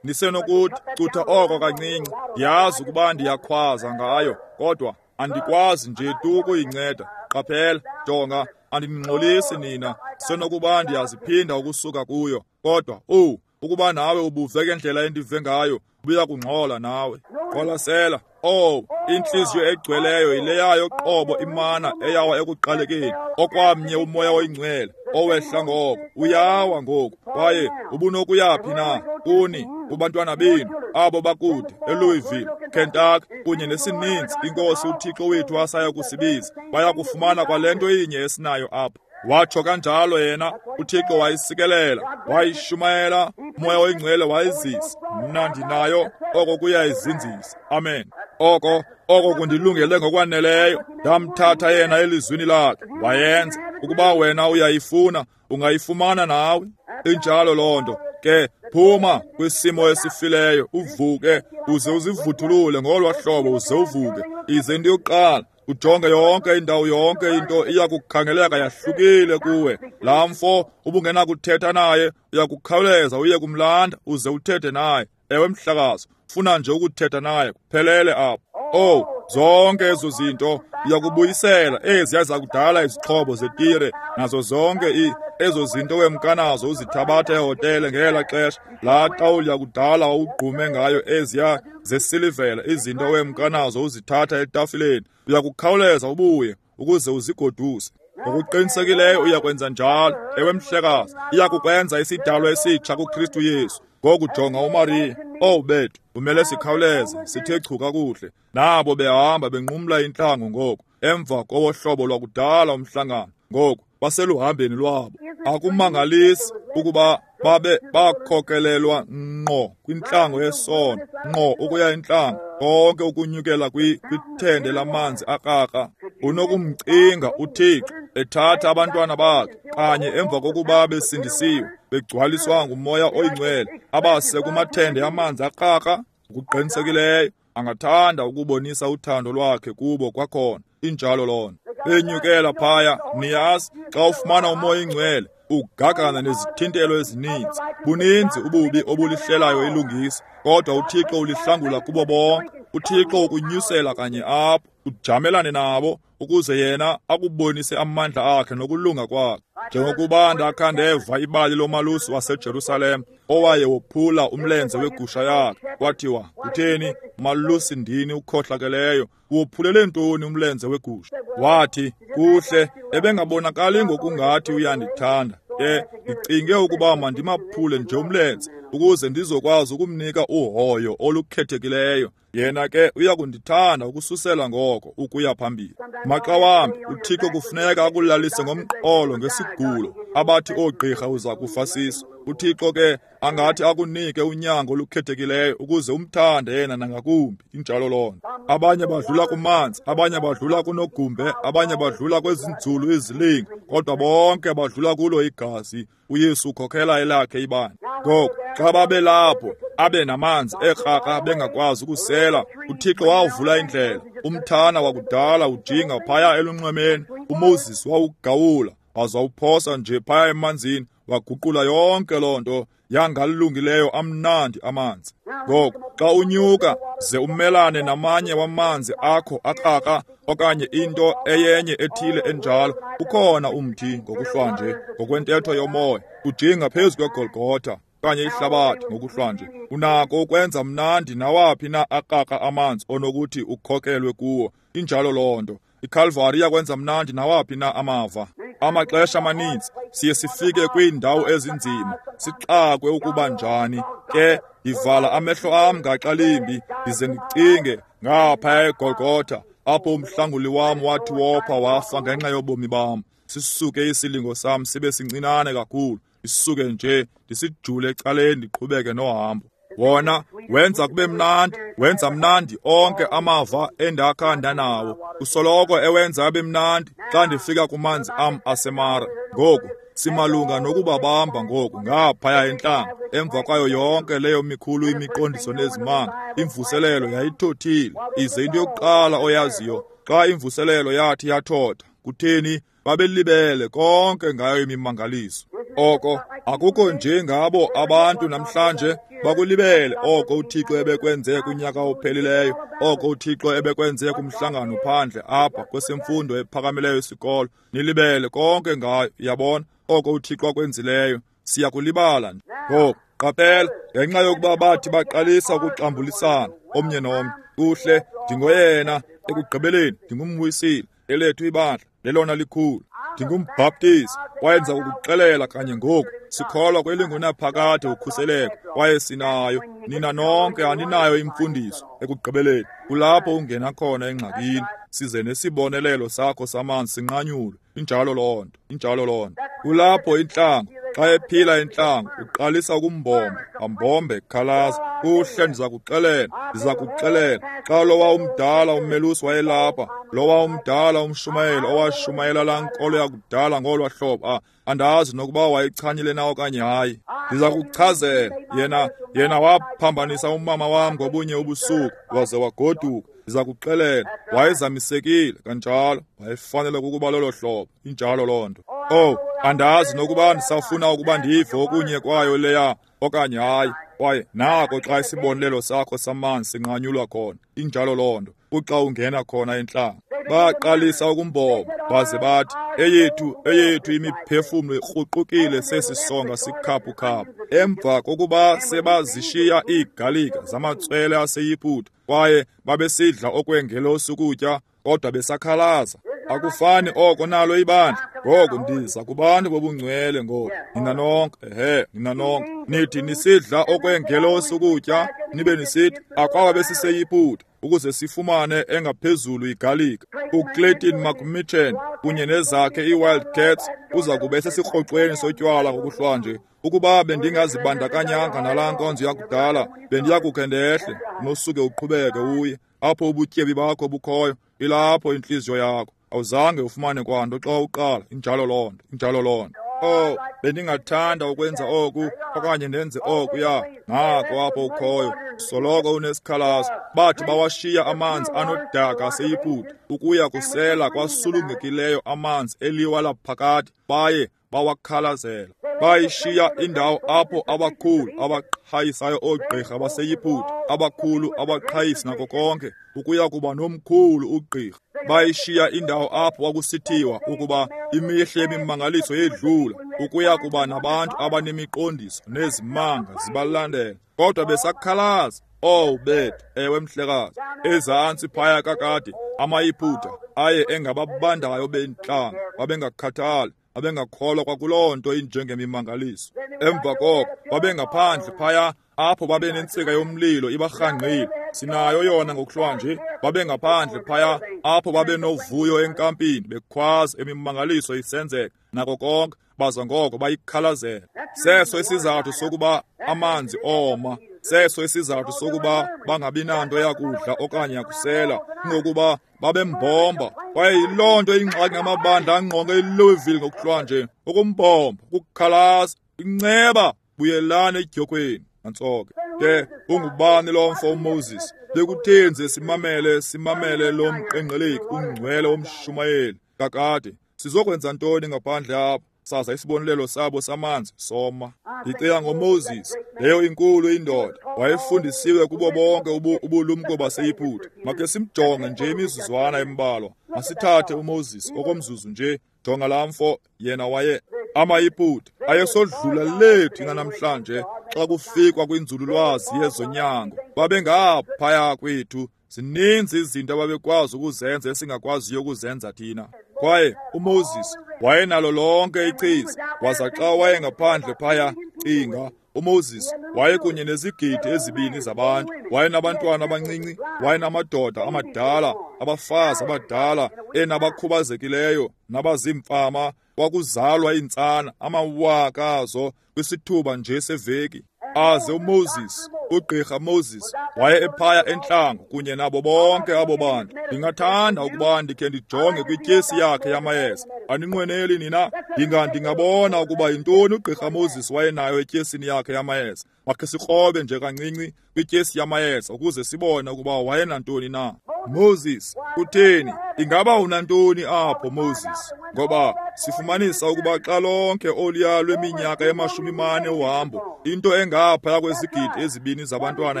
Nisenokuthi, cutha oko kancinci, ndiyazi ukuba ndiyakhwaza ngayo, kodwa andikwazi nje tu ukuyinceda. Qaphela, jonga, andiningxolisi nina, senokuba ndiyaziphinda ukusuka kuyo, kodwa owu, ukuba nawe ubuve ngendlela endive ngayo, Ubuya kungxola nawe. Qwalasela. Oh, intliziyo egcweleyo yileyayo qobo imana eyawa ekuqalekeni. Okwamnye uMoya oyiNgcwele owehla ngoko, uyawa ngoku. Kwaye ubunokuyaphi na kuni, kubantwana benu, abo bakude eLouisville, Kentucky, kunye nesininzi iNkosi uThixo wethu asaya kusibiza, baya kufumana kwale nto inye esinayo apha. Watsho kanjalo yena, uThixo wayisikelela, wayishumayela, uMoya oyiNgcwele wayizisa. Mna ndinayo, oko kuyayizinzisa. Amen. Oko, oko kundilungele ngokwaneleyo. Ndamthatha yena elizwini lakhe, wayenza. Ukuba wena uyayifuna, ungayifumana nawe. Injalo loo nto. Ke phuma kwisimo esifileyo, uvuke, uze uzivuthulule ngolwa hlobo, uze uvuke. Ize into yokuqala, ujonge yonke indawo, yonke into iyakukhangeleka yahlukile kuwe. Laa mfo ubungenakuthetha naye, uyakukhawuleza uye kumlanda uze uthethe naye. Ewe mhlakazo, funa nje ukuthetha naye, kuphelele apho. Oh, zonke ezo zinto uyakubuyisela eziya zakudala izixhobo zetire nazo zonke i ezo zinto wemkanazo uzithabatha ehotele ngela xesha. Laa tawuli yakudala wawugqume ngayo eziya zesilivela, izinto wemkanazo uzithatha etafileni, uyakukhawuleza ubuye ukuze uzigoduse. Ngokuqinisekileyo uyakwenza njalo. Ewe mhlekazi, iyakukwenza isidalwa esitsha kuKristu Yesu. Ngoku jonga uMariya. Oh bethu, kumele sikhawuleze, sithe chu kakuhle. Nabo behamba benqumla intlango ngoku, emva kowohlobo lwakudala umhlangano. Ngoku baseluhambeni lwabo. Akumangalisi ukuba babe bakhokelelwa ngqo kwintlango yesono, ngqo ukuya intlango, konke ukunyukela kwithende lamanzi akrakra. Unokumcinga uThixo ethatha abantwana bakhe kanye emva kokuba besindisiwe, begcwaliswa nguMoya oyiNgcwele, abase kumathende amanzi akrakra. Ngokuqinisekileyo angathanda ukubonisa uthando lwakhe kubo kwakhona. Injalo loo nto. Benyukela phaya, niyazi, xa ufumana uMoya oyiNgcwele ugagana nezithintelo ezininzi. Buninzi ububi obulihlelayo ilungisa, kodwa uThixo ulihlangula kubo bonke. uThixo ukunyusela kanye apho, ujamelane nabo, ukuze yena akubonise amandla akhe nokulunga kwakhe. Njengokuba ndakha ndeva ibali lomalusi waseJerusalem owaye wophula umlenze wegusha yakhe, kwathiwa, kutheni malusi ndini ukhohlakeleyo, uwophulele ntoni umlenze wegusha? Wathi, kuhle, ebengabonakali ngokungathi uyandithanda. Ke ndicinge ukuba mandimaphule nje umlenze ukuze ndizokwazi ukumnika uhoyo olukhethekileyo. Yena ke uyakundithanda ukususela ngoko ukuya phambili. Maxa wambi uThixo kufuneka akulalise ngomqolo ngesigulo abathi oogqirha uza kufa siso. uThixo ke angathi akunike unyango olukhethekileyo ukuze umthande yena nangakumbi. Injalo loo nto. Abanye badlula kumanzi, abanye badlula kunogumbe, abanye badlula kwezinzulu izilingo, kodwa bonke badlula kulo igazi. uYesu ukhokhela elakhe ibandla. Ngoku xa babelapho abe namanzi ekrakra bengakwazi ukusela, uThixo wawuvula indlela. Umthana wakudala ujinga phaya elunxwemeni, uMoses wawugawula waza wawuphosa nje phaya emanzini, waguqula yonke loo nto yangalungileyo amnandi amanzi. Ngoku xa unyuka ze umelane namanye wamanzi akho akrakra okanye into eyenye ethile enjalo, ukhona umthi ngokuhlwanje ngokwentetho yomoya ujinga phezu kweGolgotha okanye ihlabathi ngokuhlwanje. Unako ukwenza mnandi nawaphi na akrakra amanzi onokuthi ukhokelwe kuwo. Injalo loo nto. IKalvari iyakwenza mnandi nawaphi na amava. Amaxesha amaninzi siye sifike kwiindawo ezinzima, sixakwe ukuba njani. Ke ndivala amehlo am ngaxa limbi ndize ndicinge ngaphaya eGolgotha apho umhlanguli wam wathi wopha wafa ngenxa yobomi bam. Sisuke isilingo sam sibe sincinane kakhulu, ndisuke nje ndisijule ecaleni ndiqhubeke nohambo. Wona wenza kube mnandi, wenza mnandi onke amava endakha ndanawo. Usoloko ewenza abe mnandi xa ndifika kumanzi am aseMara. Ngoku simalunga nokubabamba ngoku ngaphaya entlango. Emva kwayo yonke leyo mikhulu imiqondiso nezimanga, imvuselelo yayithothile. Ize into yokuqala oyaziyo, xa imvuselelo yathi yathotha, kutheni babelibele konke ngayo imimangaliso. Oko akukho nje ngabo abantu namhlanje bakulibele oko uThixo ebekwenze kunyaka ophelileyo, oko uThixo ebekwenze kumhlangano phandle apha kwesemfundo ephakamileyo isikolo. Nilibele konke ngayo, yabona, oko uThixo akwenzileyo. Siyakulibala nje. Ngoku Qaphela, ngenxa yokuba bathi baqalisa ukuxambulisana omnye nomnye. Kuhle, ndingoyena ekugqibeleni ndingumwisile, elethu ibandla lelona likhulu. Ndingumbhaptizi, kwaye ndiza kukuxelela kanye ngoku, sikholwa kwelingunaphakade ukhuseleko, kwaye sinayo. Nina nonke aninayo imfundiso ekugqibeleni. Kulapho ungena khona engxakini, size nesibonelelo sakho samanzi sinqanyulwe. Injalo loo nto, injalo loo nto. Kulapho intlango, xa ephila intlango, uqalisa ukumbomba, ambombe khalaza. Kuhle, ndiza kuxelela, ndiza kuxelela. Xa lowa umdala umelusi wayelapha, lowa umdala umshumayeli owashumayela laa nkolo yakudala ngolwa hlobo, ah, andazi nokuba wayichanyile na okanye hayi. Ndiza kuchazela, yena yena waphambanisa umama wam ngobunye ubusuku, waze wagoduka. Ndiza kuxelela, wayezamisekile kanjalo, wayefanele kukuba lolo hlobo. Injalo loo nto. Oh, andazi nokuba ndisafuna ukuba ndive okunye kwayo leya okanye hayi. Kwaye nako xa isibonelelo sakho samanzi sinqanyulwa khona. Injalo loo nto. Kuxa ungena khona entlango. Baqalisa ukumbomba, baze bathi, eyethu, eyethu imiphefumlo ikruqukile sesi songa sikhaphukhaphu. Emva kokuba sebazishiya iigalika zamatswele aseYiputa, kwaye babesidla okwengelosi ukutya, kodwa besakhalaza. Akufani oko nalo ibandla. Ngoku ndiza kubantu bobungcwele ngoku. Nina nonke, ehe, nina nonke. Nithi nisidla okwengelosi ukutya, nibe nisithi akwaba besiseYiputa ukuze sifumane engaphezulu igalika. UClayton McMichen kunye nezakhe iWildcats uza kube esesikrocweni sotywala ngokuhlwanje. Ukuba bendingazibandakanyanga nalaa nkonzo yakudala, bendiya kukhe ndehle, unosuke uqhubeke uye. Apho ubutyebi bakho bukhoyo, ilapho intliziyo yakho. Awuzange ufumane kwanto xa uqala. Injalo loo nto, injalo loo nto. Oh, bendingathanda ukwenza oku okanye ndenze okuya. Nako apho ukhoyo, soloko unesikhalazo. Bathi bawashiya amanzi anodaka aseYiputa ukuya kusela kwasulungekileyo amanzi eliwa laphakade, baye bawakhalazela. Bayishiya indawo apho abakhulu abaqhayisayo oogqirha baseYiputa, abakhulu abaqhayisi nako konke, ukuya kuba nomkhulu ugqirha. Bayishiya indawo apho kwakusithiwa ukuba imihle yemimangaliso yedlula, ukuya kuba nabantu abanemiqondiso nezimanga zibalandela, kodwa besakhalaza. Oh bethu, ewe mhlekazi, ezantsi phaya kakade amaYiputa aye engababandayo bentlanga, babengakhathali, babengakholwa kwakuloo nto injengemimangaliso. Emva koko babengaphandle phaya apho babenentsika yomlilo ibarhangqile. Sinayo yona ngokuhlwanje. Babengaphandle phaya apho babenovuyo enkampini, bekhwaza imimangaliso isenzeka nako konke, baza ngoko bayikhalazela. Seso isizathu sokuba amanzi oma, seso isizathu sokuba bangabi nanto yakudla okanye yakusela, kungokuba babembomba. Kwaye yiloo nto ingxaki ngamabandla angqonge iLouisville ngokuhlwanje, ukumbomba, ukukhalaza, inceba, buyelani edyokhweni. Nantsoke ke, ungubani lo mfo uMoses? Bekutheni simamele simamele lo mqengqeleki ungcwele womshumayeli? Kakade sizokwenza ntoni ngaphandle apha? Saza isibonelelo sabo samanzi soma. Ndicinga ngoMoses, leyo inkulu indoda, wayefundisiwe kubo bonke ubu, ubulumko baseYiputa. Makhe simjonge nje imizuzwana embalwa. Masithathe uMoses okomzuzu nje. Jonga laa mfo, yena waye amaYiputa ayesodlula lethu namhlanje xa kufikwa kwinzululwazi yezonyango. Babengaphaya kwethu. Zininzi izinto ababekwazi ukuzenza esingakwaziyo ukuzenza thina. Kwaye uMoses wayenalo lonke ichiza, waza xa wayengaphandle phaya, cinga, uMoses wayekunye nezigidi ezibini zabantu. Wayenabantwana abancinci, wayenamadoda amadala, abafazi abadala, enabakhubazekileyo, nabazimfama. Kwakuzalwa iintsana amawaka azo kwisithuba nje seveki. Aze uMoses, ugqirha Moses, waye ephaya entlango kunye nabo bonke abo bantu. Ndingathanda ukuba ndikhe ndijonge kwityesi yakhe yamayeza. Aninqweneli nina? Ndinga ndingabona ukuba yintoni ugqirha Moses wayenayo etyesini yakhe yamayeza. Makhe sikrobe nje kancinci kwityesi yamayeza ukuze sibone ukuba wayenantoni na. Moses, kutheni? Ingaba unantoni apho, Moses? Ngoba sifumanisa ukuba xa lonke oluya lweminyaka emashumi mane uhambo, into engaphaya kwezigidi ezibini zabantwana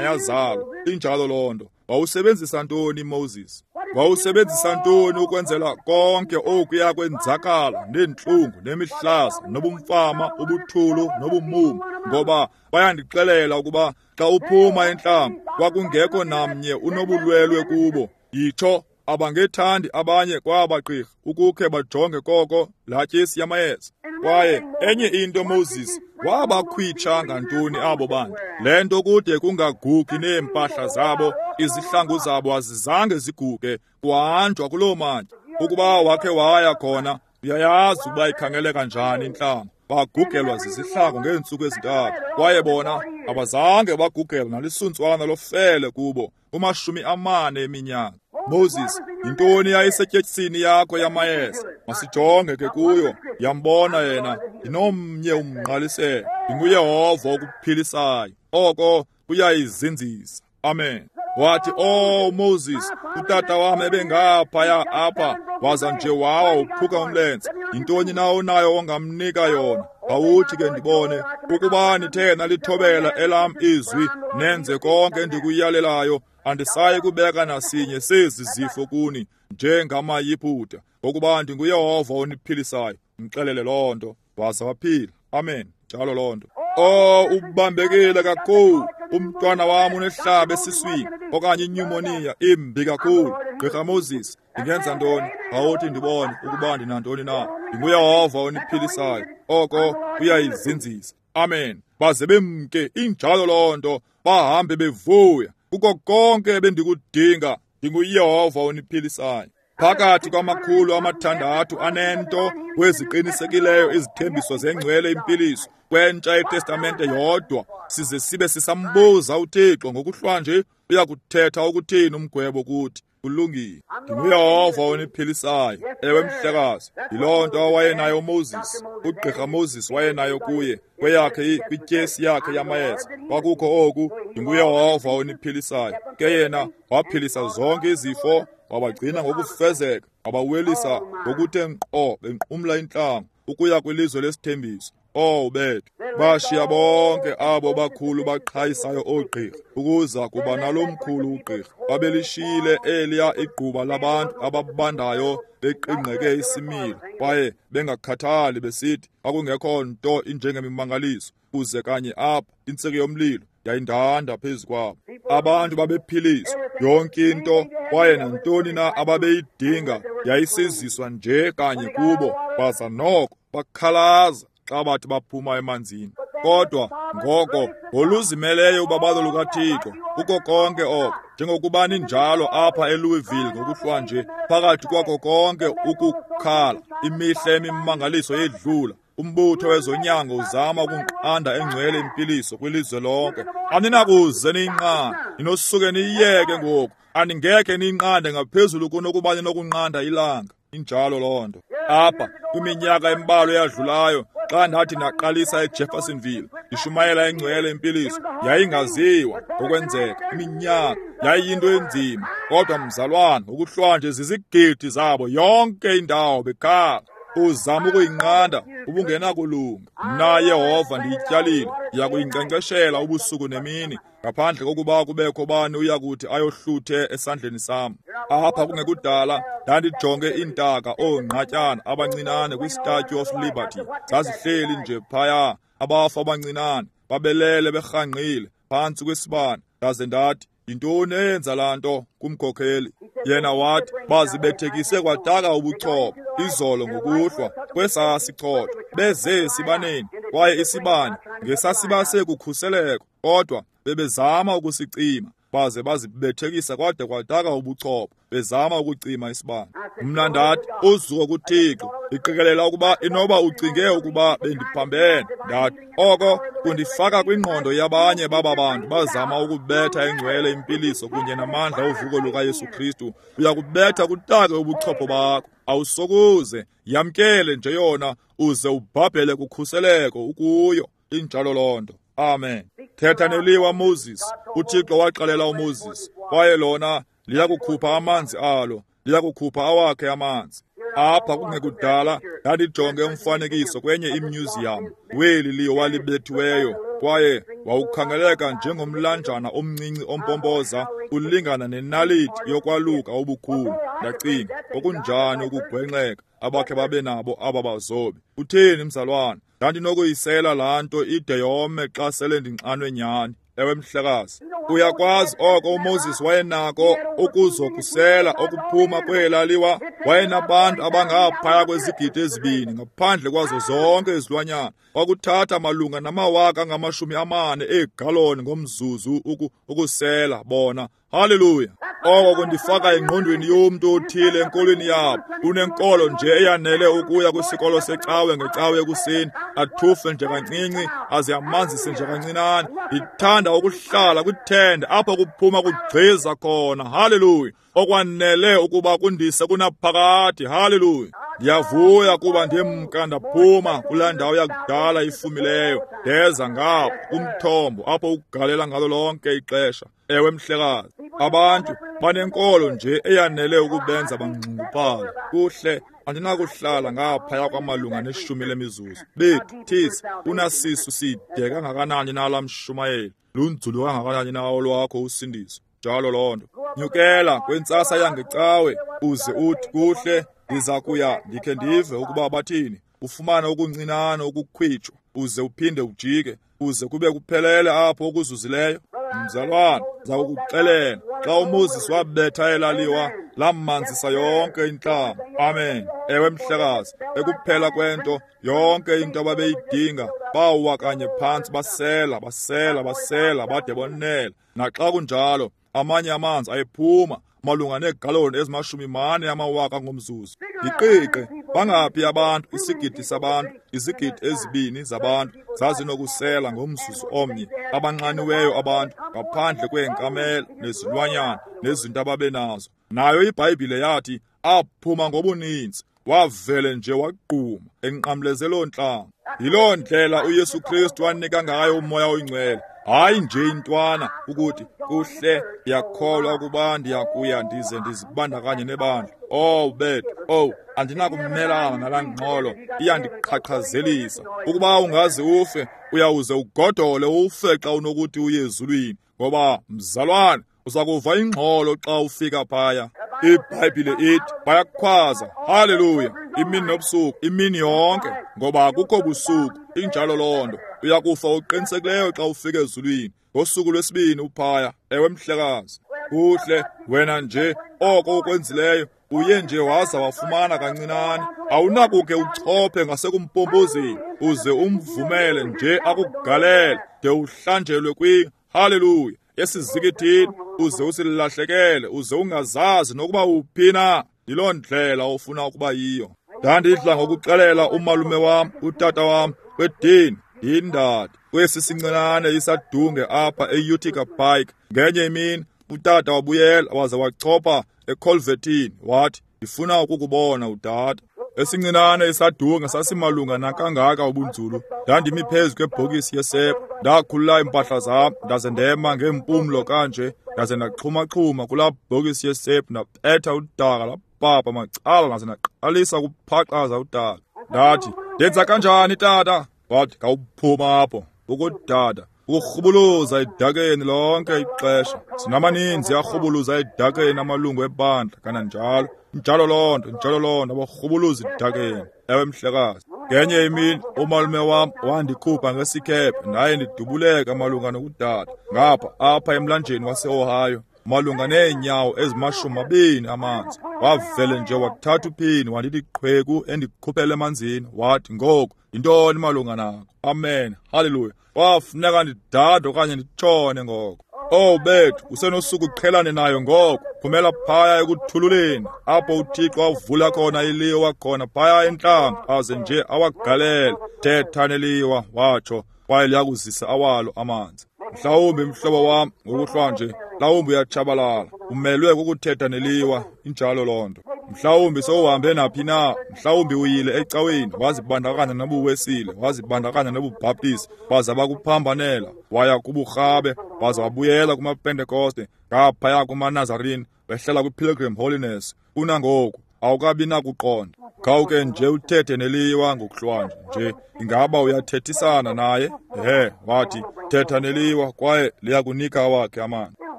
yazalwa. Injalo loo nto. Wawusebenzisa ntoni Moses? Wawusebenzisa ntoni ukwenzela konke okuya kwenzakala neentlungu nemihlaza nobumfama, ubuthulu nobumumu? Ngoba bayandixelela ukuba xa uphuma entlango kwakungekho namnye unobulwelwe kubo. Yitsho, abangethandi abanye kwaba gqirha ukukhe bajonge koko laa tyesi yamayeza. Kwaye enye into, Moses, wabakhwitsha ngantoni abo bantu? Le nto kude kungagugi neempahla zabo, izihlangu zabo azizange ziguge, kuhanjwa kuloo mantya. Ukuba wakhe waya khona, uyayazi ukuba ikhangeleka njani intlango. Bagugelwa zizihlangu ngeentsuku ezintathu, kwaye bona abazange bagugelwa nalisuntswana lofele kubo kumashumi amane eminyaka. Moses, yintoni yayisetyesini yakho yamayeza? Masijonge ke kuyo. Yambona yena, ndinomnye umngqaliselo, ndinguYehova okuphilisayo. Oko kuyayizinzisa. Amen. Wathi, "Oh Moses, utata wam ebengaphaya apha, waza nje wawa uphuka umlenze. Yintoni na onayo ongamnika yona? Awuthi ke ndibone ukuba nithe nalithobela elam izwi, nenze konke endikuyalelayo, andisayi kubeka nasinye sezi zifo kuni njengamaYiputa, ngokuba ndinguYehova oniphilisayo." Mxelele loo nto, waza waphila. Amen. Njalo loo nto. Oh, ubambekile kakhulu. Umntwana wam unehlaba esiswini okanye inyumoniya imbi kakhulu. Gqirha Moses, ndingenza ntoni? Awuthi ndibone ukuba ndinantoni na. NdinguYehova oniphilisayo. Oko kuyayizinzisa. Amen. Baze bemke, injalo loo nto, bahambe bevuya. Kuko konke ebendikudinga, ndinguYehova oniphilisayo. Phakathi kwamakhulu amathandathu anento kweziqinisekileyo izithembiso zengcwele impiliso kwentsha iTestamente yodwa, size sibe sisambuza uThixo ngokuhlwa nje, uyakuthetha ukuthini umgwebo kuthi? Kulungile. NdinguYehova oniphilisayo. Ewe mhlekazi, yiloo nto awayenayo uMoses. Ugqirha Moses wayenayo kuye kweyakhe kwityesi yakhe yamayeza. Kwakukho oku, ndinguYehova oniphilisayo. Ke yena waphilisa zonke izifo, wabagcina ngokufezeka, wabawelisa ngokuthe nkqo benqumla intlango ukuya kwilizwe lesithembiso. Oh bethu, bashiya bonke abo bakhulu baqhayisayo oogqirha ukuza kuba nalo mkhulu ugqirha. Babelishiyile eliya igquba labantu ababandayo beqingqeke isimilo kwaye bengakhathali, besithi kwakungekho nto injengemimangaliso. Kuze kanye apha intsiki yomlilo yayindanda phezu kwabo. Abantu babephiliswa yonke into, kwaye nantoni na ababeyidinga yayisiziswa nje kanye kubo. Baza noko bakhalaza xa bathi baphuma emanzini. Kodwa ngoko ngoluzimeleyo ubabalo lukaThixo kuko konke oko, njengokuba ninjalo apha eLouisville ngokuhlwa nje, phakathi kwako konke ukukhala, imihla emimangaliso yedlula. Umbutho wezonyango uzama ukunqanda engcwele impiliso kwilizwe lonke. Aninakuze niyinqande, ninosuke niyiyeke ngoku. Aningekhe niyinqande ngaphezulu kunokuba ninokunqanda ilanga. Injalo loo nto. Apha kwiminyaka embalwa eyadlulayo, xa ndathi ndaqalisa eJeffersonville ndishumayela engcwele impiliso, yayingaziwa ngokwenzeka iminyaka, yayiyinto enzima. Kodwa mzalwana, ngokuhlwa nje zizigidi zabo yonke indawo bekhala. Uzama ukuyinqanda, ubungenakulunga. Mna Yehova ndiyityalile, ndiyakuyinkcenkceshela ubusuku nemini, ngaphandle kokuba kubekho bani uyakuthi ayohluthe esandleni sam. Apha kungekudala ndandijonge iintaka oongqatyana abancinane kwiStatue of Liberty. Zazihleli nje phaya, abafu abancinane babelele berhangqile phantsi kwesibane. Ndaze ndathi, yintoni eyenza laa nto kumkhokheli? Yena wathi, bazibethekise kwataka ubuchopho izolo ngokuhlwa kwesaa sichotho, beze esibaneni, kwaye isibane ngesasibase kukhuseleko, kodwa bebezama ukusicima, baze bazibethekisa kwade kwataka ubuchopho bezama ukucima isibane. Mna ndathi, uzuko kuThixo, ndiqikelela ukuba inoba ucinge ukuba bendiphambene. Ndathi, oko kundifaka kwingqondo yabanye baba bantu bazama ukubetha engcwele impiliso kunye namandla ovuko lukaYesu Kristu. Uyakubetha kutake ubuchopho bakho, awusokuze. Yamkele nje yona uze ubhabhele kukhuseleko ukuyo. Injalo loo nto. Amen. Thetha neliwa Moses. uThixo waxelela uMoses, kwaye lona liyakukhupha amanzi alo, liyakukhupha awakhe amanzi. Apha kungekudala ndandijonge umfanekiso kwenye imyuziyam weli liwa libethiweyo, kwaye wawukhangeleka njengomlanjana omncinci ompompoza ulingana nenaliti yokwaluka obukhulu. Ndacinga, okunjani ukugwenxeka abakhe babe nabo aba bazobi. Utheni mzalwana? Ndandinokuyisela laa nto ide yome xa sele ndinxanwe nyhani. Ewe mhlekazi, uyakwazi oko uMoses wayenako ukuzokusela okuphuma kwela liwa. Wayenabantu abangaphaya kwezigidi ezibini ngaphandle kwazo zonke izilwanyana. Kwakuthatha malunga namawaka angamashumi amane eegaloni ngomzuzu uku, ukusela bona. Haleluya! Oko kundifaka engqondweni yomntu othile enkolweni yabo. Unenkolo nje eyanele ukuya kwisikolo secawe ngecawe ekuseni, athufe nje kancinci, aze amanzise nje kancinane. Ndithanda ukuhlala kwithende apho kuphuma kugqiza khona. Haleluya! Okwanele ukuba kundise kunaphakade. Haleluya! Ndiyavuya kuba ndimka ndaphuma kulaa ndawo yakudala ifumileyo, ndeza ngapha kumthombo apho ukugalela ngalo lonke ixesha. Ewe mhlekazi, abantu banenkolo nje eyanele ukubenza bangxunguphala. Kuhle, andinakuhlala ngaphaya kwamalunga neshumi lemizuzu. Bethu, thisi, unasisu side kangakanani na laa mshumayeli? Lunzulu kangakanani na olwakho usindiso? Njalo loo nto. Nyukela kwintsasa yangecawe uze uthi, kuhle, ndiza kuya ndikhe ndive ukuba bathini. Ufumane okuncinane ukukhwitshwa, uze uphinde ujike, uze kube kuphelele apho okuzuzileyo. Mzalwana, ndiza kukuxelela, xa uMoses wabetha elaliwa, lamanzisa yonke intlama. Amen. Ewe mhlekazi, ekuphela kwento, yonke into ababeyidinga, bawa kanye phantsi basela, basela, basela, bade bonela. Naxa kunjalo, amanye amanzi ayephuma malunga neegaloni ezimashumi mane amawaka ngomzuzu. Yiqiqe, bangaphi abantu, isigidi sabantu, izigidi ezibini zabantu zazinokusela ngomzuzu omnye, abanxaniweyo abantu, ngaphandle kweenkamela nezilwanyana nezinto ababenazo. Nayo iBhayibhile yathi aphuma ngobuninzi, wavele nje waquma enqamleze loo ntlanga. Yiloo ndlela uYesu Kristu wanika ngayo uMoya oyiNgcwele. Hayi nje intwana ukuthi kuhle, ndiyakholwa ukuba ndiyakuya ndize ndizibandakanye nebandla. Oh bethu, oh, andinakumelana nalaa ngxolo, iyandiqhaqhazelisa. Ukuba ungaze ufe, uyawuze ugodole ufe xa unokuthi uye ezulwini, ngoba mzalwane, uza kuva ingxolo xa ufika phaya. IBhayibhile ithi bayakhwaza, haleluya, imini nobusuku, imini yonke, ngoba akukho busuku. Injalo loo nto. Uyakufa uqinisekileyo xa ufika ezulwini ngosuku lwesibini uphaya. Ewe mhlekazi, kuhle, wena nje oko ukwenzileyo, uye nje waza wafumana kancinane. Awunakuke uchophe ngasekumpompozeni uze umvumele nje akugalele de uhlanjelwe kwi haleluya esizikithini, uze usilahlekele, uze ungazazi nokuba uphi na. Yiloo ndlela ofuna ukuba yiyo. Ndandidla ngokuxelela umalume wam, utata wam, kwedini yindadi kwesi sincinane isadunge apha e-Utica Pike. Ngenye imini utata wabuyela waze wachopha ekholvetini, wathi, ndifuna ukukubona utata. Esincinane isadunge sasimalunga nakangaka ubunzulu. Ndandimi phezu kwebhokisi yesepha, ndakhulula iimpahla zam, ndaze ndema ngeempumlo kanje, ndaze ndaxhumaxhuma kulaa bhokisi yesepha, ndabetha udaka lapapa macala, ndaze ndaqalisa ukuphaqaza udaka. Ndathi, ndenza kanjani tata? Wathi, khawuphuma apho. Ukudada, ukurhubuluza edakeni lonke ixesha. Sinamaninzi arhubuluza edakeni amalungu ebandla kananjalo. Njalo loo nto, njalo loo nto, abarhubuluza edakeni. Ewe mhlekazi. Ngenye imini umalume wam wandikhupha ngesikhephe, ndaye ndidubuleka malunga nokudada ngapha apha emlanjeni waseOhio, malunga neenyawo ezimashumi mabini amanzi. Wavele nje wathatha uphini wandithi qhweku endikhuphele emanzini. Wathi, ngoku yintoni malunga nako? Amen, haleluya. Kwafuneka ndidade okanye nditshone ngoko. Oh bethu, usenosuku uqhelane nayo ngoko. Phumela phaya ekuthululeni apho uThixo avula khona iliwa khona phaya entlango, aze nje awagalele. Thetha neliwa, watsho, kwaye liyakuzisa awalo amanzi. Mhlawumbi mhlobo wam ngokuhlwa nje, mhlawumbi uyatshabalala, umelwe kukuthetha neliwa. Injalo loo nto. Mhlawumbi sowuhambe naphi na, mhlawumbi uyile ecaweni, wazibandakanya nobuWesile, wazibandakanya nobuBhaptisi, baza bakuphambanela, waya kuburhabe, waza wabuyela kumaPentekoste, ngaphaya kumaNazarini, wehlela kwiPilgrim Holiness. Unangoku Awukabi nakuqonda. Khawuke nje uthethe neliwa ngokuhlwanje nje. Ingaba uyathethisana naye? Ehe, wathi, thetha neliwa kwaye liyakunika awakhe amanzi.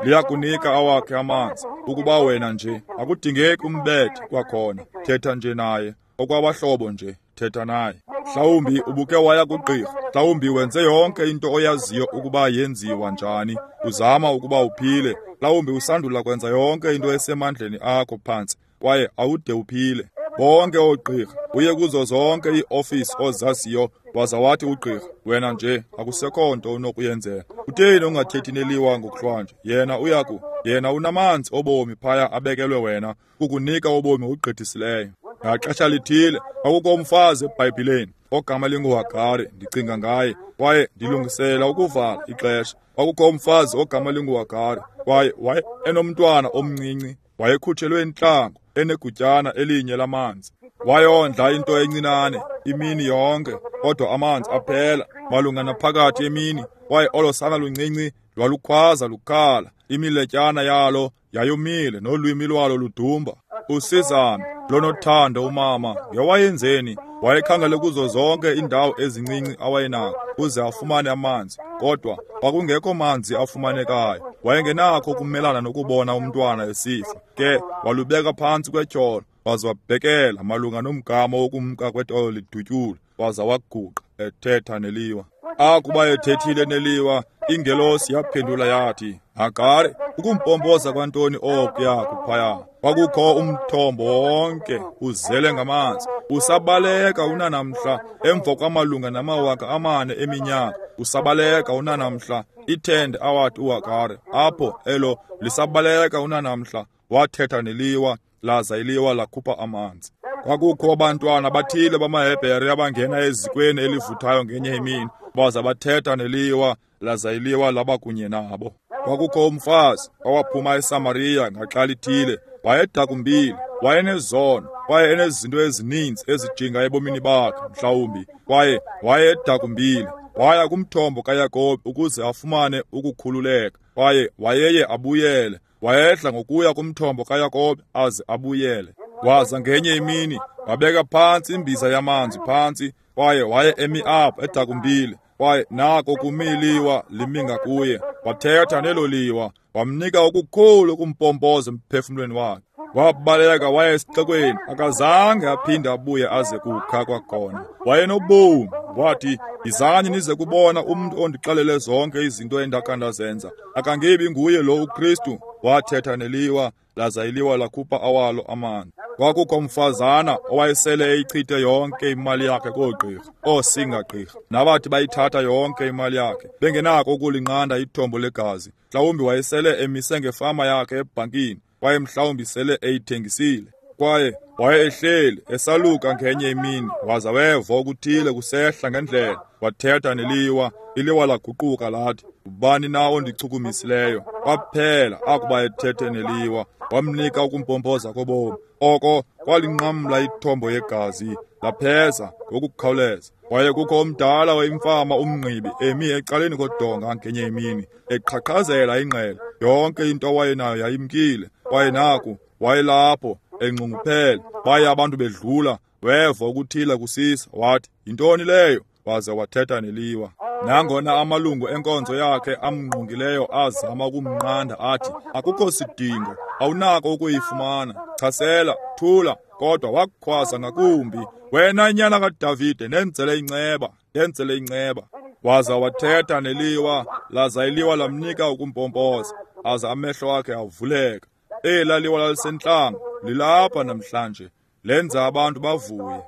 Liyakunika awakhe amanzi. Ukuba wena nje, akudingeki umbethe kwakhona. Thetha nje naye. Okwabahlobo nje, thetha naye. Mhlawumbi ubuke waya kugqirha. Mhlawumbi wenze yonke into oyaziyo ukuba yenziwa njani. Uzama ukuba uphile. Mhlawumbi usandula kwenza yonke into esemandleni akho phantsi kwaye awude uphile. Bonke oogqirha, uye kuzo zonke iiofisi ozaziyo, waza wathi ugqirha, wena nje akusekho nto unokuyenzela. Kutheni ungathethi neliwa ngokuhlwanje? Yena uyaku, yena unamanzi obomi phaya abekelwe wena, ukunika ubomi ogqithisileyo. Ngaxesha lithile, kwakukho umfazi eBhayibhileni ogama linguHagari, ndicinga ngaye, kwaye ndilungisela ukuvala ixesha. Kwakukho umfazi ogama linguHagari, kwaye waye enomntwana omncinci, wayekhutshelwe intlango, enegutyana elinye lamanzi. Wayondla into encinane imini yonke, kodwa amanzi aphela malunga naphakathi emini, kwaye olo sana luncinci lwalukhwaza lukhala, imiletyana yalo yayomile nolwimi lwalo ludumba. Usizana lonothando umama ngewayenzeni, wayekhangele kuzo zonke iindawo ezincinci awayenako ukuze afumane amanzi, kodwa kwakungekho manzi afumanekayo. Wayengenakho ukumelana nokubona umntwana esifa, ke walubeka phantsi kwetyholo, waza wabhekela malunga nomgama wokumka kwetolo lidutyule, waza waguqa ethetha neliwa. Akuba ethethile neliwa, ingelosi yaphendula yathi, Hagari, ukumpompoza kwantoni okuya kuphaya? Kwakukho umthombo wonke uzele ngamanzi, usabaleka unanamhla emva kwamalunga namawaka amane eminyaka, usabaleka unanamhla. Ithende awathi uHagari apho elo lisabaleka unanamhla. Wathetha neliwa, laza iliwa lakhupha amanzi. Kwakukho abantwana bathile bamaHebhere abangena ezikweni elivuthayo ngenye imini, baza bathetha neliwa, laza iliwa laba kunye nabo. Kwakukho umfazi owaphuma eSamariya ngaxa lithile, wayedakumbile, wayenezono, kwaye enezinto ezininzi ezijinga ebomini bakhe mhlawumbi, kwaye wayedakumbile. Waya kumthombo kaYakobi ukuze afumane ukukhululeka, kwaye wayeye abuyele. Wayedla ngokuya kumthombo kaYakobi aze abuyele. Waza ngenye imini wabeka phantsi imbiza yamanzi phantsi, kwaye waye emi apho edakumbile, kwaye nako kumi iliwa limi ngakuye. Wathetha nelo liwa, wamnika okukhulu ukumpompoza emphefumlweni wakhe. Wabaleka waya esixekweni, akazange aphinde abuye aze kukha kwakhona. Wayenobomi. Wathi, yizani nize kubona umntu ondixelele zonke izinto endakha ndazenza. Akangebi nguye lo uKristu? Wathetha neliwa, laza iliwa lakhupha awalo amanzi. Kwakukho umfazana owayesele eyichithe yonke imali yakhe koogqirha, oosingagqirha, nabathi bayithatha yonke imali yakhe, bengenako ukulinqanda ithombo legazi. Mhlawumbi wayesele emise ngefama yakhe ebhankini, kwaye mhlawumbi sele eyithengisile. Kwaye waye ehleli esaluka ngenye imini, waza weva okuthile kusehla ngendlela. Wathetha neliwa, iliwa laguquka lathi, ubani na ondichukumisileyo? Kwaphela akuba ethethe neliwa, wamnika ukumpompoza kobomi. Oko kwalinqamla ithombo yegazi, lapheza ngokukhawuleza. Kwaye kukho omdala wayimfama umngqibi emi ecaleni kodonga ngenye imini, eqhaqhazela ingqele. Yonke into awayenayo yayimkile, kwaye naku wayelapho enxunguphele. Baye abantu bedlula, weva ukuthile kusisa, wathi, yintoni leyo? Waze wathetha neliwa. Nangona amalungu enkonzo yakhe amngqongileyo azama ukumnqanda athi, akukho sidingo, awunako ukuyifumana, chasela, thula, kodwa wakhwaza ngakumbi, wena nyana kaDavide, nenzele inceba, nenzele inceba. Waza wathetha neliwa, laza iliwa lamnika ukumpompoza, aza amehlo akhe avuleka. Ela liwa lalisentlango lilapha namhlanje, lenza abantu bavuye.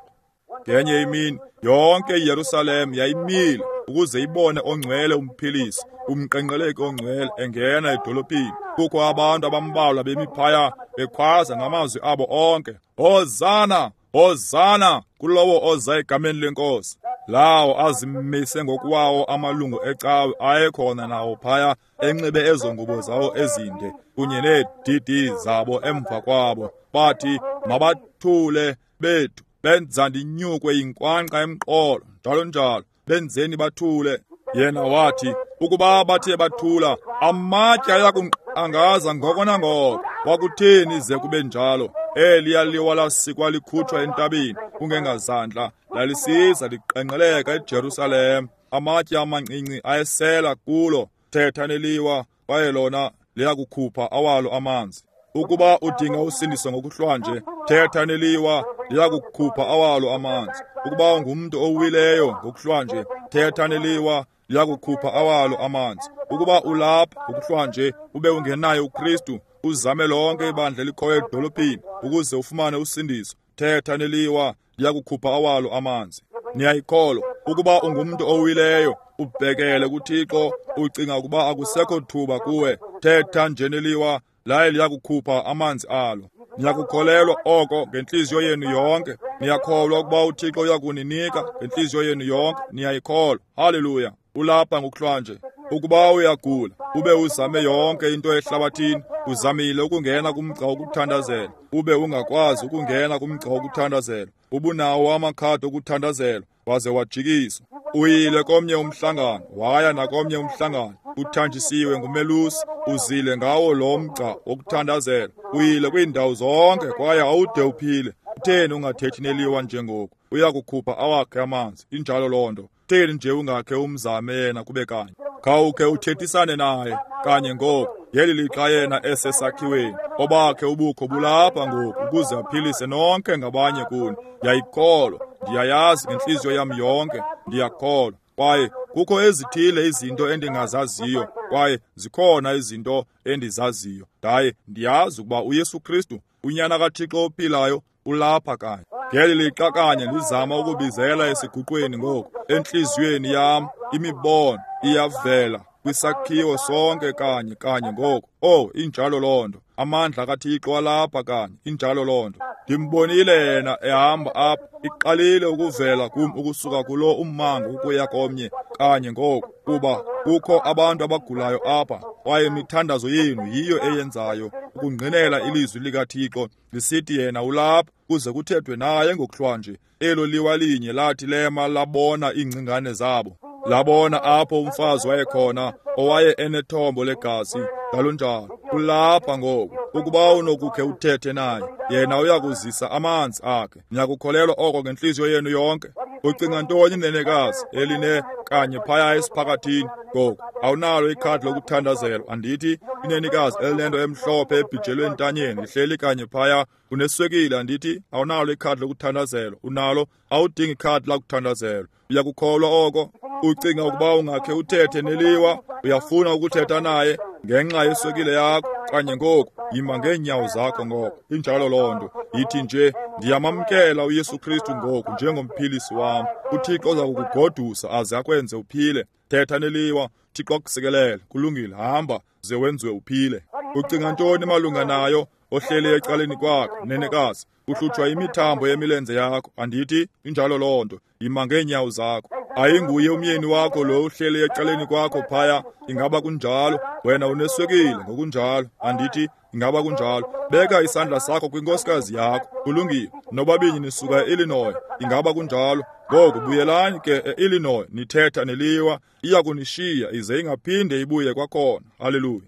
Ngenye imini yonke iYerusalem yayimile ukuze ibone ongcwele umphilisi, umqenqeleki ongcwele engena edolophini. Kukho abantu abambalwa bemi phaya bekhwaza ngamazwi abo onke, Hosana, Hosana kulowo oza egameni leNkosi. Lawo azimise ngokwawo amalungu ecawe ayekhona nawo phaya enxibe ezo ngubo zawo ezinde kunye needidi zabo emva kwabo. Bathi, mabathule bethu, benza ndinyukwe yinkwankqa emqolo, njalo njalo, benzeni bathule. Yena wathi, ukuba bathe bathula, amatye ayakunqangaza ngoko nangoko. Kwakutheni ze kube njalo? Eliya liwa lasikwa likhutshwa entabeni kungengazandla, lalisiza liqengqeleka eJerusalem. Amatye amancinci ayesela kulo. Thetha neliwa, kwaye lona liyakukhupha awalo amanzi. Ukuba udinga usindiso ngokuhlwanje, thetha neliwa, liyakukhupha awalo amanzi. Ukuba ungumntu owileyo ngokuhlwanje, thetha neliwa, liyakukhupha awalo amanzi. Ukuba ulapha ngokuhlwanje ube ungenayo uKristu, uzame lonke ibandla elikhoyo edolophini ukuze ufumane usindiso, thetha neliwa, liyakukhupha awalo amanzi. Niyayikholwa? Ukuba ungumntu owileyo, ubhekele kuThixo, ucinga ukuba akusekho thuba kuwe, thetha nje neliwa, laye liyakukhupha amanzi alo. Niyakukholelwa oko ngentliziyo yenu yonke? Niyakholwa ukuba uThixo uyakuninika ngentliziyo yenu yonke? Niyayikholwa? Haleluya! Ulapha ngokuhlwanje. Ukuba uyagula, ube uzame yonke into ehlabathini, uzamile ukungena kumgca wokuthandazela, ube ungakwazi ukungena kumgca wokuthandazela, ubunawo amakhadi okuthandazela, waze wajikiswa. Uyile komnye umhlangano, waya nakomnye umhlangano, uthanjisiwe ngumelusi, uzile ngawo lo mgca wokuthandazela, uyile kwiindawo zonke kwaye awude uphile. Kutheni ungathethi neliwa njengoku? Uyakukhupha awakhe amanzi. Injalo loo nto. Kutheni nje ungakhe umzame yena kube kanye? Khawukhe uthethisane naye kanye ngoku. Ngeli lixa yena esesakhiweni, obakhe ubukho bulapha ngoku ukuze aphilise nonke ngabanye kuni. Ndiyayikholwa, ndiyayazi ngentliziyo yam yonke, ndiyakholwa. Kwaye kukho ezithile izinto endingazaziyo, kwaye zikhona izinto endizaziyo. Ndaye ndiyazi ukuba uYesu Kristu, uNyana kaThixo ophilayo, ulapha kanye. Ngeli lixa kanye ndizama ukubizela esiguqweni ngoku, entliziyweni yam imibono iyavela kwisakhiwo sonke kanye kanye ngoku. Oh, injalo loo nto. Amandla kaThixo alapha kanye, injalo loo nto. Ndimbonile yena ehamba apha, iqalile ukuvela kum ukusuka kulo ummango ukuya komnye kanye ngoku, kuba kukho abantu abagulayo apha, kwaye imithandazo yenu yiyo eyenzayo ukungqinela ilizwi likaThixo lisithi yena ulapha kuze kuthethwe naye ngokuhlwanje. Elo liwa linye lathi lema labona iingcingane zabo, labona apho umfazi wayekhona owaye enethombo legazi, njalo njalo. Ulapha ngoku. Ukuba unokukhe uthethe naye, yena uyakuzisa amanzi akhe. Niyakukholelwa oko ngentliziyo yenu yonke? Ucinga ntoni nenekazi eline kanye phaya esiphakathini ngoku? Awunalo ikhadi lokuthandazelwa, andithi? Inenekazi elinento emhlophe ebhijelwe entanyeni lihleli kanye phaya. Uneswekile, andithi? Awunalo ikhadi lokuthandazelwa. Unalo? Awudingi ikhadi lakuthandazelwa. Uyakukholwa oko? Ucinga ukuba ungakhe uthethe neliwa? Uyafuna ukuthetha naye ngenxa yeswekile yakho kanye ngoku? Yima ngeenyawo zakho ngoku. Injalo loo nto. Yithi nje, ndiyamamkela uYesu Kristu ngoku njengomphilisi wam. UThixo uza kukugodusa aze akwenze uphile. Thetha neliwa, Thixo akusikelele. Kulungile, hamba ze wenziwe uphile. Ucinga ntoni malunga nayo ohleli ecaleni kwakho, nenekazi? Uhlutshwa imithambo yemilenze yakho, andithi? Injalo loo nto. Yima ngeenyawo zakho. Ayinguye umyeni wakho lo uhleli ecaleni kwakho phaya? Ingaba kunjalo? Wena uneswekile ngokunjalo, andithi? Ingaba kunjalo? Beka isandla sakho kwinkosikazi yakho. Kulungile. Nobabini nisuka e-Illinois. Ingaba kunjalo? Ngoku buyelani ke e-Illinois, nithetha neliwa, iya kunishiya ize ingaphinde ibuye kwakhona. Haleluya.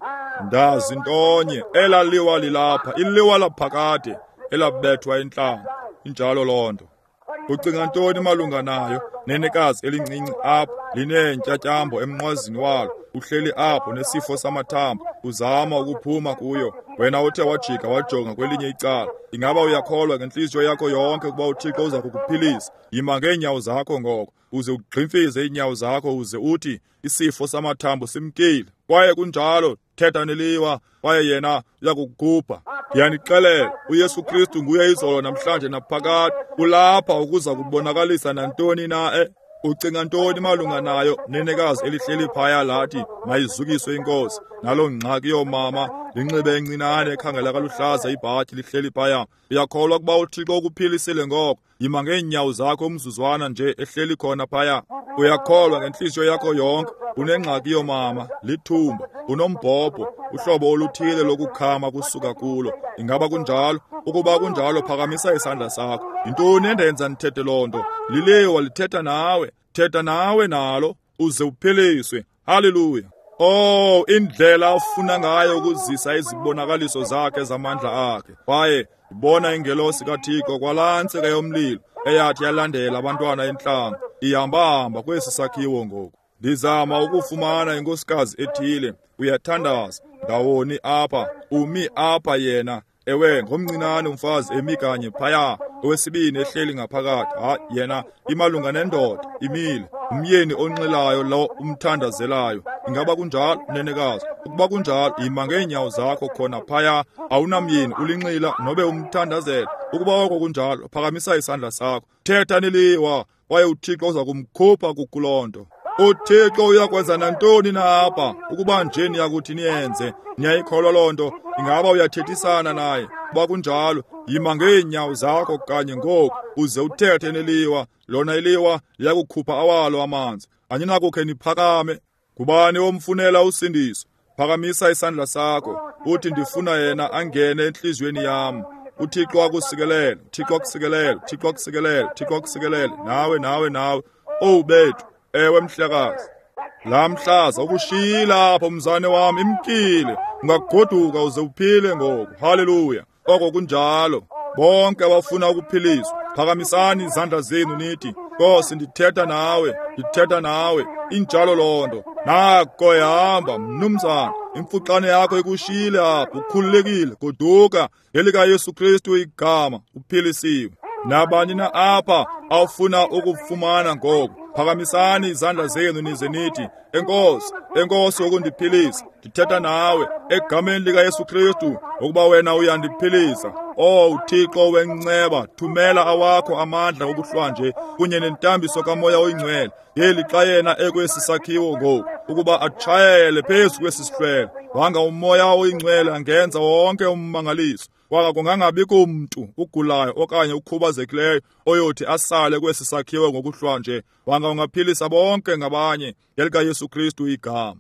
Ndazi ntonye, elaa liwa lilapha, iliwa laphakade elabethwa entlango. Injalo loo nto. Ucinga ntoni malunga nayo? Nenekazi elincinci apha lineentyatyambo emnqwazini walo, uhleli apho nesifo samathambo, uzama ukuphuma kuyo. Wena uthe wajika wajonga kwelinye icala. Ingaba uyakholwa ngentliziyo yakho yonke ukuba uThixo uza kukuphilisa? Yima ngeenyawo zakho ngoko, uze ugximfize iinyawo zakho uze uthi isifo samathambo simkile. Kwaye kunjalo, thetha neliwa, kwaye yena uyakukukhupha. Ndiyanixelela, uYesu Kristu nguye izolo namhlanje naphakade. Ulapha ukuza kubonakalisa nantoni na e. Ucinga ntoni malunga nayo nenekazi elihleli phaya lathi mayizukiswe inkosi? Naloo ngxaki yoomama linxibe encinane ekhangela kaluhlaza ibhatyi lihleli phaya. Uyakholwa ukuba uThixo ukuphilisile ngoko? Yima ngeenyawo zakho umzuzwana nje ehleli khona phaya. Uyakholwa ngentliziyo yakho yonke? Unengxaki yoomama, lithumba, unombhobho, uhlobo oluthile lokukhama kusuka kulo. Ingaba kunjalo? Ukuba kunjalo, phakamisa isandla sakho. Yintoni endenza ndithethe loo nto? Liliwa lithetha nawe. Thetha nawe nalo uze uphiliswe. Haleluya. Oh, indlela afuna ngayo ukuzisa izibonakaliso zakhe zamandla akhe. Kwaye ndibona ingelosi kaThixo kwalaa ntsika yomlilo eyathi yalandela abantwana entlango, ihamba-hamba kwesi sakhiwo ngoku. Ndizama ukufumana inkosikazi ethile. Uyathandaza ndawoni apha, umi apha yena. Ewe, ngomncinane umfazi emi kanye phaya, owesibini ehleli ngaphakathi. Ha, yena imalunga nendoda imile, umyeni onxilayo lo umthandazelayo. Ingaba kunjalo, nenekazi? Ukuba kunjalo, yima ngeenyawo zakho khona phaya. Awunamyeni, ulinxila nobe umthandazela. Ukuba oko kunjalo, phakamisa isandla sakho, thetha neliwa, kwaye uThixo uza kumkhupha kukuloo nto. UThixo uyakwenza nantoni na apha, ukuba nje niyakuthi niyenze. Niyayikholwa loo nto? Ingaba uyathethisana naye? Ukuba kunjalo, yima ngeenyawo zakho kanye ngoku, uze uthethe neliwa. Lona iliwa liyakukhupha awalo amanzi. Aninakukhe niphakame. Ngubani omfunela usindiso? Phakamisa isandla sakho, uthi ndifuna yena angene entliziyweni yam. UThixo akusikelele, uThixo akusikelele, uThixo akusikelele, uThixo akusikelele. Nawe, nawe, nawe. Owu bethu, ewe mhlekazi. Laa mhlaza ukushiyile apho, mzane wam, imkile. Ungagoduka uze uphile ngoku. Haleluya. Oko kunjalo. Bonke abafuna ukuphiliswa, phakamisani izandla zenu nithi, Nkosi, ndithetha nawe, ndithetha nawe. Injalo loo nto. Nako ehamba, mnumzana. Imfuxane yakho ikushiyile apho, ukhululekile. Goduka ngelikaYesu Kristu igama, uphilisiwe. Nabani na apha awufuna ukufumana ngoku, phakamisani izandla zenu nize nithi, Enkosi, enkosi ngokundiphilisa. Ndithetha nawe egameni likaYesu Kristu, ukuba wena uyandiphilisa. Oh Thixo wenceba, thumela awakho amandla ngokuhlwanje kunye nentambiso kaMoya oyiNgcwele ngeli xa yena ekwesi sakhiwo ngoku, ukuba atshayele phezu kwesi sihlwele. Wanga uMoya oyiNgcwele angenza wonke ummangaliso. Kwaka kungangabikho mntu ugulayo okanye ukhubazekileyo oyothi asale kwesi sakhiwo ngokuhlwanje. Wanga ungaphilisa bonke ngabanye ngelikaYesu Kristu igama.